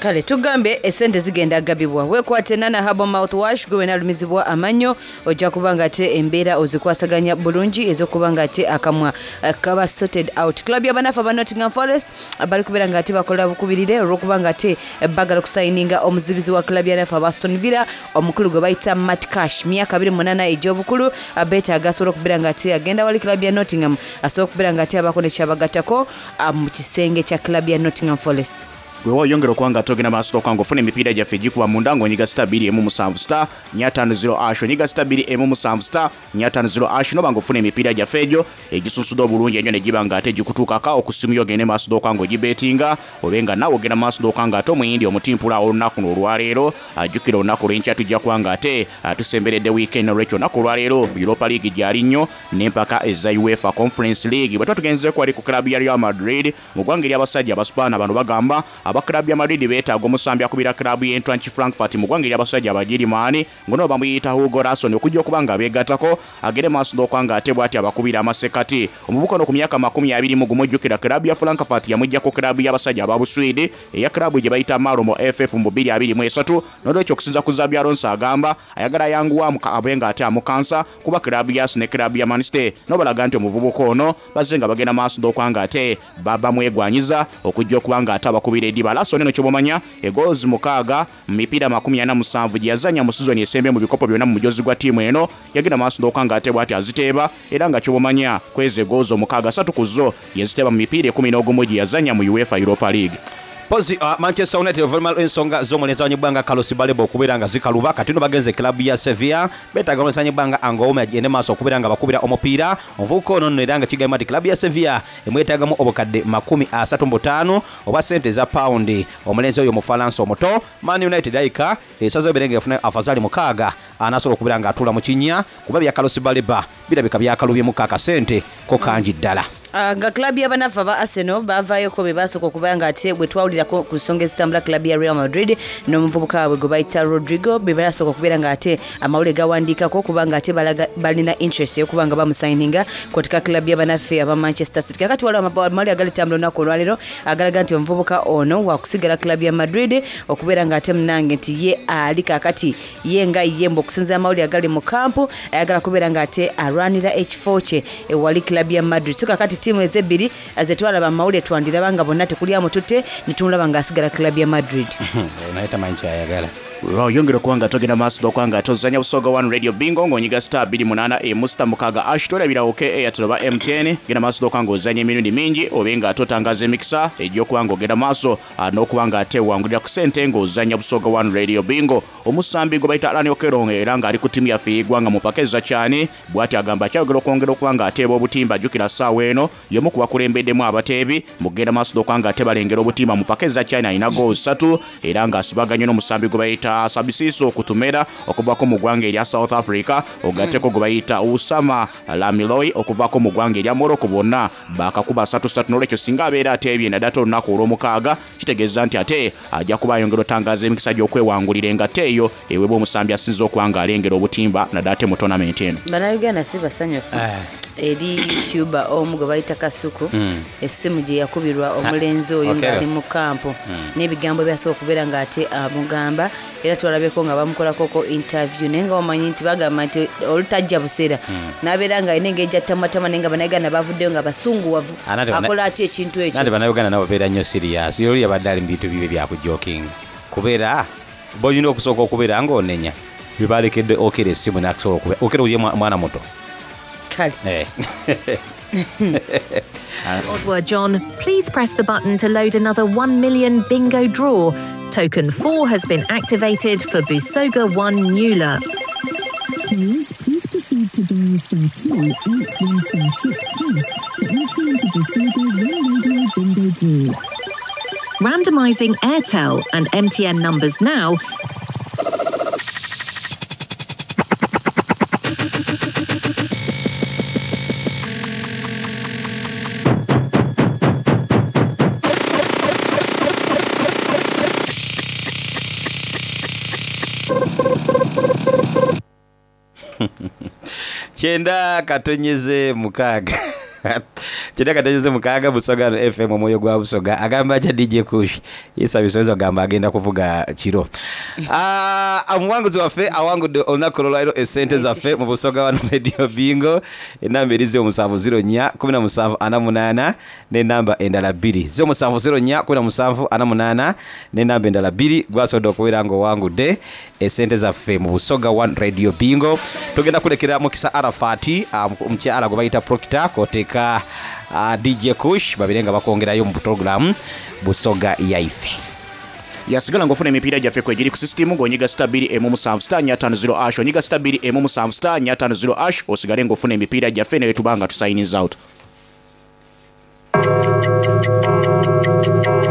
Kale tugambe esente zigenda gabibwa. Weekwate Nana Herbal Mouthwash gwe wenalumizibwa amannyo, ojja kuba nga ate embeera ozikwasaganya bulungi ez'okuba nga ate akamwa kaba sorted out. Club y'abanafu aba Nottingham Forest bali kubeera nga ate bakola bukubirire olw'okuba nga ate bagala okusayininga omuzibizi wa club y'abanafu aba Aston Villa omukulu gwe bayita Matt Cash, myaka abiri mu munaana egy'obukulu, beetaaga asobola okubeera nga ate agenda wali club ya Nottingham asobola okubeera nga ate abaako ne kyabagattako mu kisenge kya club ya Nottingham Forest. Wewe oyongera okuba nga togenda maaso okwangu ofuna emipiira gyaffe egikuba munda ng'onyiga star bbiri emu musanvu star nnya ttaano zero ash, onyiga star bbiri emu musanvu star nnya ttaano zero ash noba ng'ofuna emipiira gyaffe egyo egisunsudde obulungi ennyo ne giba nga ate gikutuukako okusimu yo ogende maaso okwangu ogibeetinga obe nga naawe ogenda maaso okwangu ate omuyindi omutimpula olunaku olwaleero. Ajjukira olunaku olw'enkya tujja kuba nga ate tusemberedde weekend, olwekyo olunaku olwaleero Europa League gyali nnyo n'empaka eza UEFA Conference League. Bwe tuba tugenzeeko wali ku club ya Real Madrid mu ggwanga ery'abasajja Abaspaana, bano bagamba aba club ya Madrid beetaaga omusambi akubira club y'Eintracht Frankfurt mu ggwanga ery'abasajja Abagirimaani ng'ono bamuyita Hugo Larsson okujja okuba nga abeegattako agere maaso n'okuba nga ate bw'ati abakubira amasekati. Omuvubuka ono ku myaka makumi abiri mu gumu ojjukira club ya Frankfurt yamuggyako club y'abasajja aba Buswidi eya club gye bayita Malmo F F mu bbiri abiri mu esatu. N'olwekyo okusinza ku Xabi Alonso agamba ayagala ayanguwa abe nga ate amukansa kuba club ya Arsenal ne club ya Man City n'obalaga nti omuvubuka ono bazze nga bagenda maaso n'okuba nga ate bamwegwanyiza okujja okuba nga ate abakubira ediba. Larsson eno ky'obomanya egoals mukaaga mu mipiira makumi ana musanvu gye yazannya mu sizoni esembye mu bikopo byonna mu mujozi gwa ttiimu eno, yagenda maaso n'okuba nga ate bw'ati aziteeba era nga ky'obomanya kwezi egoals omukaaga asatu ku zo yaziteeba mu mipiira ekkumi n'ogumu gye yazannya mu UEFA Europa League. Pozi, uh, Manchester United oluvannyuma lw'ensonga z'omulenzi awanyibwa nga Carlos Baleba okubeera nga zikaluba, kati nno bagenze club ya Sevilla beetaaga omulenzi awanyibwa nga Angoume agende maaso okubeera nga bakubira omupiira. Omuvubuka ono nno era nga kigambibwa nti club ya Sevilla emwetaagamu obukadde makumi asatu mu butaano oba ssente eza pawundi. Omulenzi oyo Omufalansa omuto, Man United ayika esazeewo ebeere ng'efuna afazaali mukaaga anaasobola okubeera ng'atuula mu kinnya kuba bya Carlos Baleba birabika byakalubyemu akasente ko kangi ddala. Nga club y'abanafu aba Arsenal baavaayoko be baasooka okuba nga ate bwe twawulirako ku nsonga ezitambula club ya Real Madrid n'omuvubuka waabwe gwe bayita Rodrigo be baasooka okubeera nga ate amawulire gawandiikako kubanga ate balaga balina interest ey'okuba nga bamusayininga kwotika club y'abanaffe aba Manchester City. Kakati waliwo amawulire agalitambula olunaku olwaleero agalaga nti omuvubuka ono wakusigala club ya Madrid okubeera nga ate munnange nti ye ali kaakati ye nga ye mbu okusinziira amawulire agali mu kampu ayagala kubeera nga ate alwanira ekifo kye ewali club ya Madrid. So kakati ttiimu ezebbiri zetwalaba amawulire twandiraba nga bonna tekuli amututte ne tumulaba ng'asigala club ya Madrid. Naye tamanyi ky'ayagala. Oyongera okuba nga togenda maaso n'okuba nga tozannya Busoga One Radio Bingo ng'onyiga star bbiri munaana emu star mukaaga ash tolabirawo K Airtel oba M T N. Genda maaso n'okuba ng'ozannya emirundi mingi obe nga totangaza emikisa egy'okuba ng'ogenda maaso n'okuba nga ate wangulira ku ssente ng'ozannya Busoga One Radio Bingo. Omusambi gwe bayita Allan Okello era ng'ali ku ttiimu yaffe y'eggwanga mu mpaka eza Kyani bw'ati agamba akyayogera okwongera okuba ng'ateeba obutimba. Ajjukira ssaawa eno y'omu ku bakulembeddemu abateebi mu kugenda maaso n'okuba nga ate balengera obutimba mu mpaka eza Kyani, alina goals ssatu era ng'asibaganye n'omusambi gwe bayita bayita Sabisiso Kutumera okuvako mu ggwanga erya South Africa, ogatteko gwe bayita Usama Lamiloi okuvako mu ggwanga erya Morocco, bonna bakakuba satu satu. N'olwekyo singa abeera ateebye naddala ate olunaku olw'omukaaga, kitegeeza nti ate ajja kuba ayongera otangaaza emikisa gy'okwewangulira engatte eyo eweebwa omusambi asinze okuba nga alengera obutimba naddala ate mu tournament eno. Bannayuganda si basanyufu eri youtuber omu gwe bayita Kasuku, Mm. essimu gye yakubirwa omulenzi oyo Okello. ng'ali mu kampo Mm. n'ebigambo byasobola okubeera ng'ate amugamba, era twalabyeko nga bamukolakoko interview, naye nga omanyi nti bagamba nti olutajja buseera Mm. n'abeera nga alina engeri gy'attamatama, naye nga bannayuganda bavuddeyo nga basunguwavu, Anate bana- akola atya ekintu ekyo? Nandi bannayuganda nabo babeera nnyo serious. Oli yabadde ali mu bintu bibe byakujoking, kubeera bolina okusooka okubeera ng'onenya bebalekedde Okello essimu nakusobola okubeera Okello ye mwa- mwana muto. Kale. Eh. Odwa John, please press the button to load another one million bingo draw. Token four has been activated for Busoga one Nula. Please proceed to dial star two eight one star six hash to enter into Busoga One Radio Bingo Draw. Randomizing Airtel and M T N numbers now. Kyenda katonyeze mukaaga, kyenda katonyeze mukaaga, Busoga F M, omwoyo gwa Busoga. Agamba atya D J Kush yesabisa agamba agenda kuvuga kiro. Ah, omuwanguzi waffe awangudde olunaku olwaliro esente zaffe mu Busoga Wano Radio Bingo, enamba eri ziro musanvu ziro nnya kumi na musanvu ana munaana n'enamba endala bbiri, ziro musanvu ziro nnya kumi na musanvu ana munaana n'enamba endala bbiri. Gwasobodde okubeera ng'owangudde esente zaffe mu Busoga One Radio Bingo. Tugenda kulekera Mukisa Arafati, ah, omukyala gwe bayita Proctor, koteeka, ah, D J Kush babire nga bakwongerayo mu program Busoga yaife. Yasigala ng'ofuna emipiira gyaffe kwegiri ku sisitimu ng'onyiga star bbiri emu musanvu star nnya ttaano zero ash, onyiga star bbiri emu musanvu star nnya ttaano zero ash, osigale ng'ofuna emipiira gyaffe naye tuba nga tusayiniza out.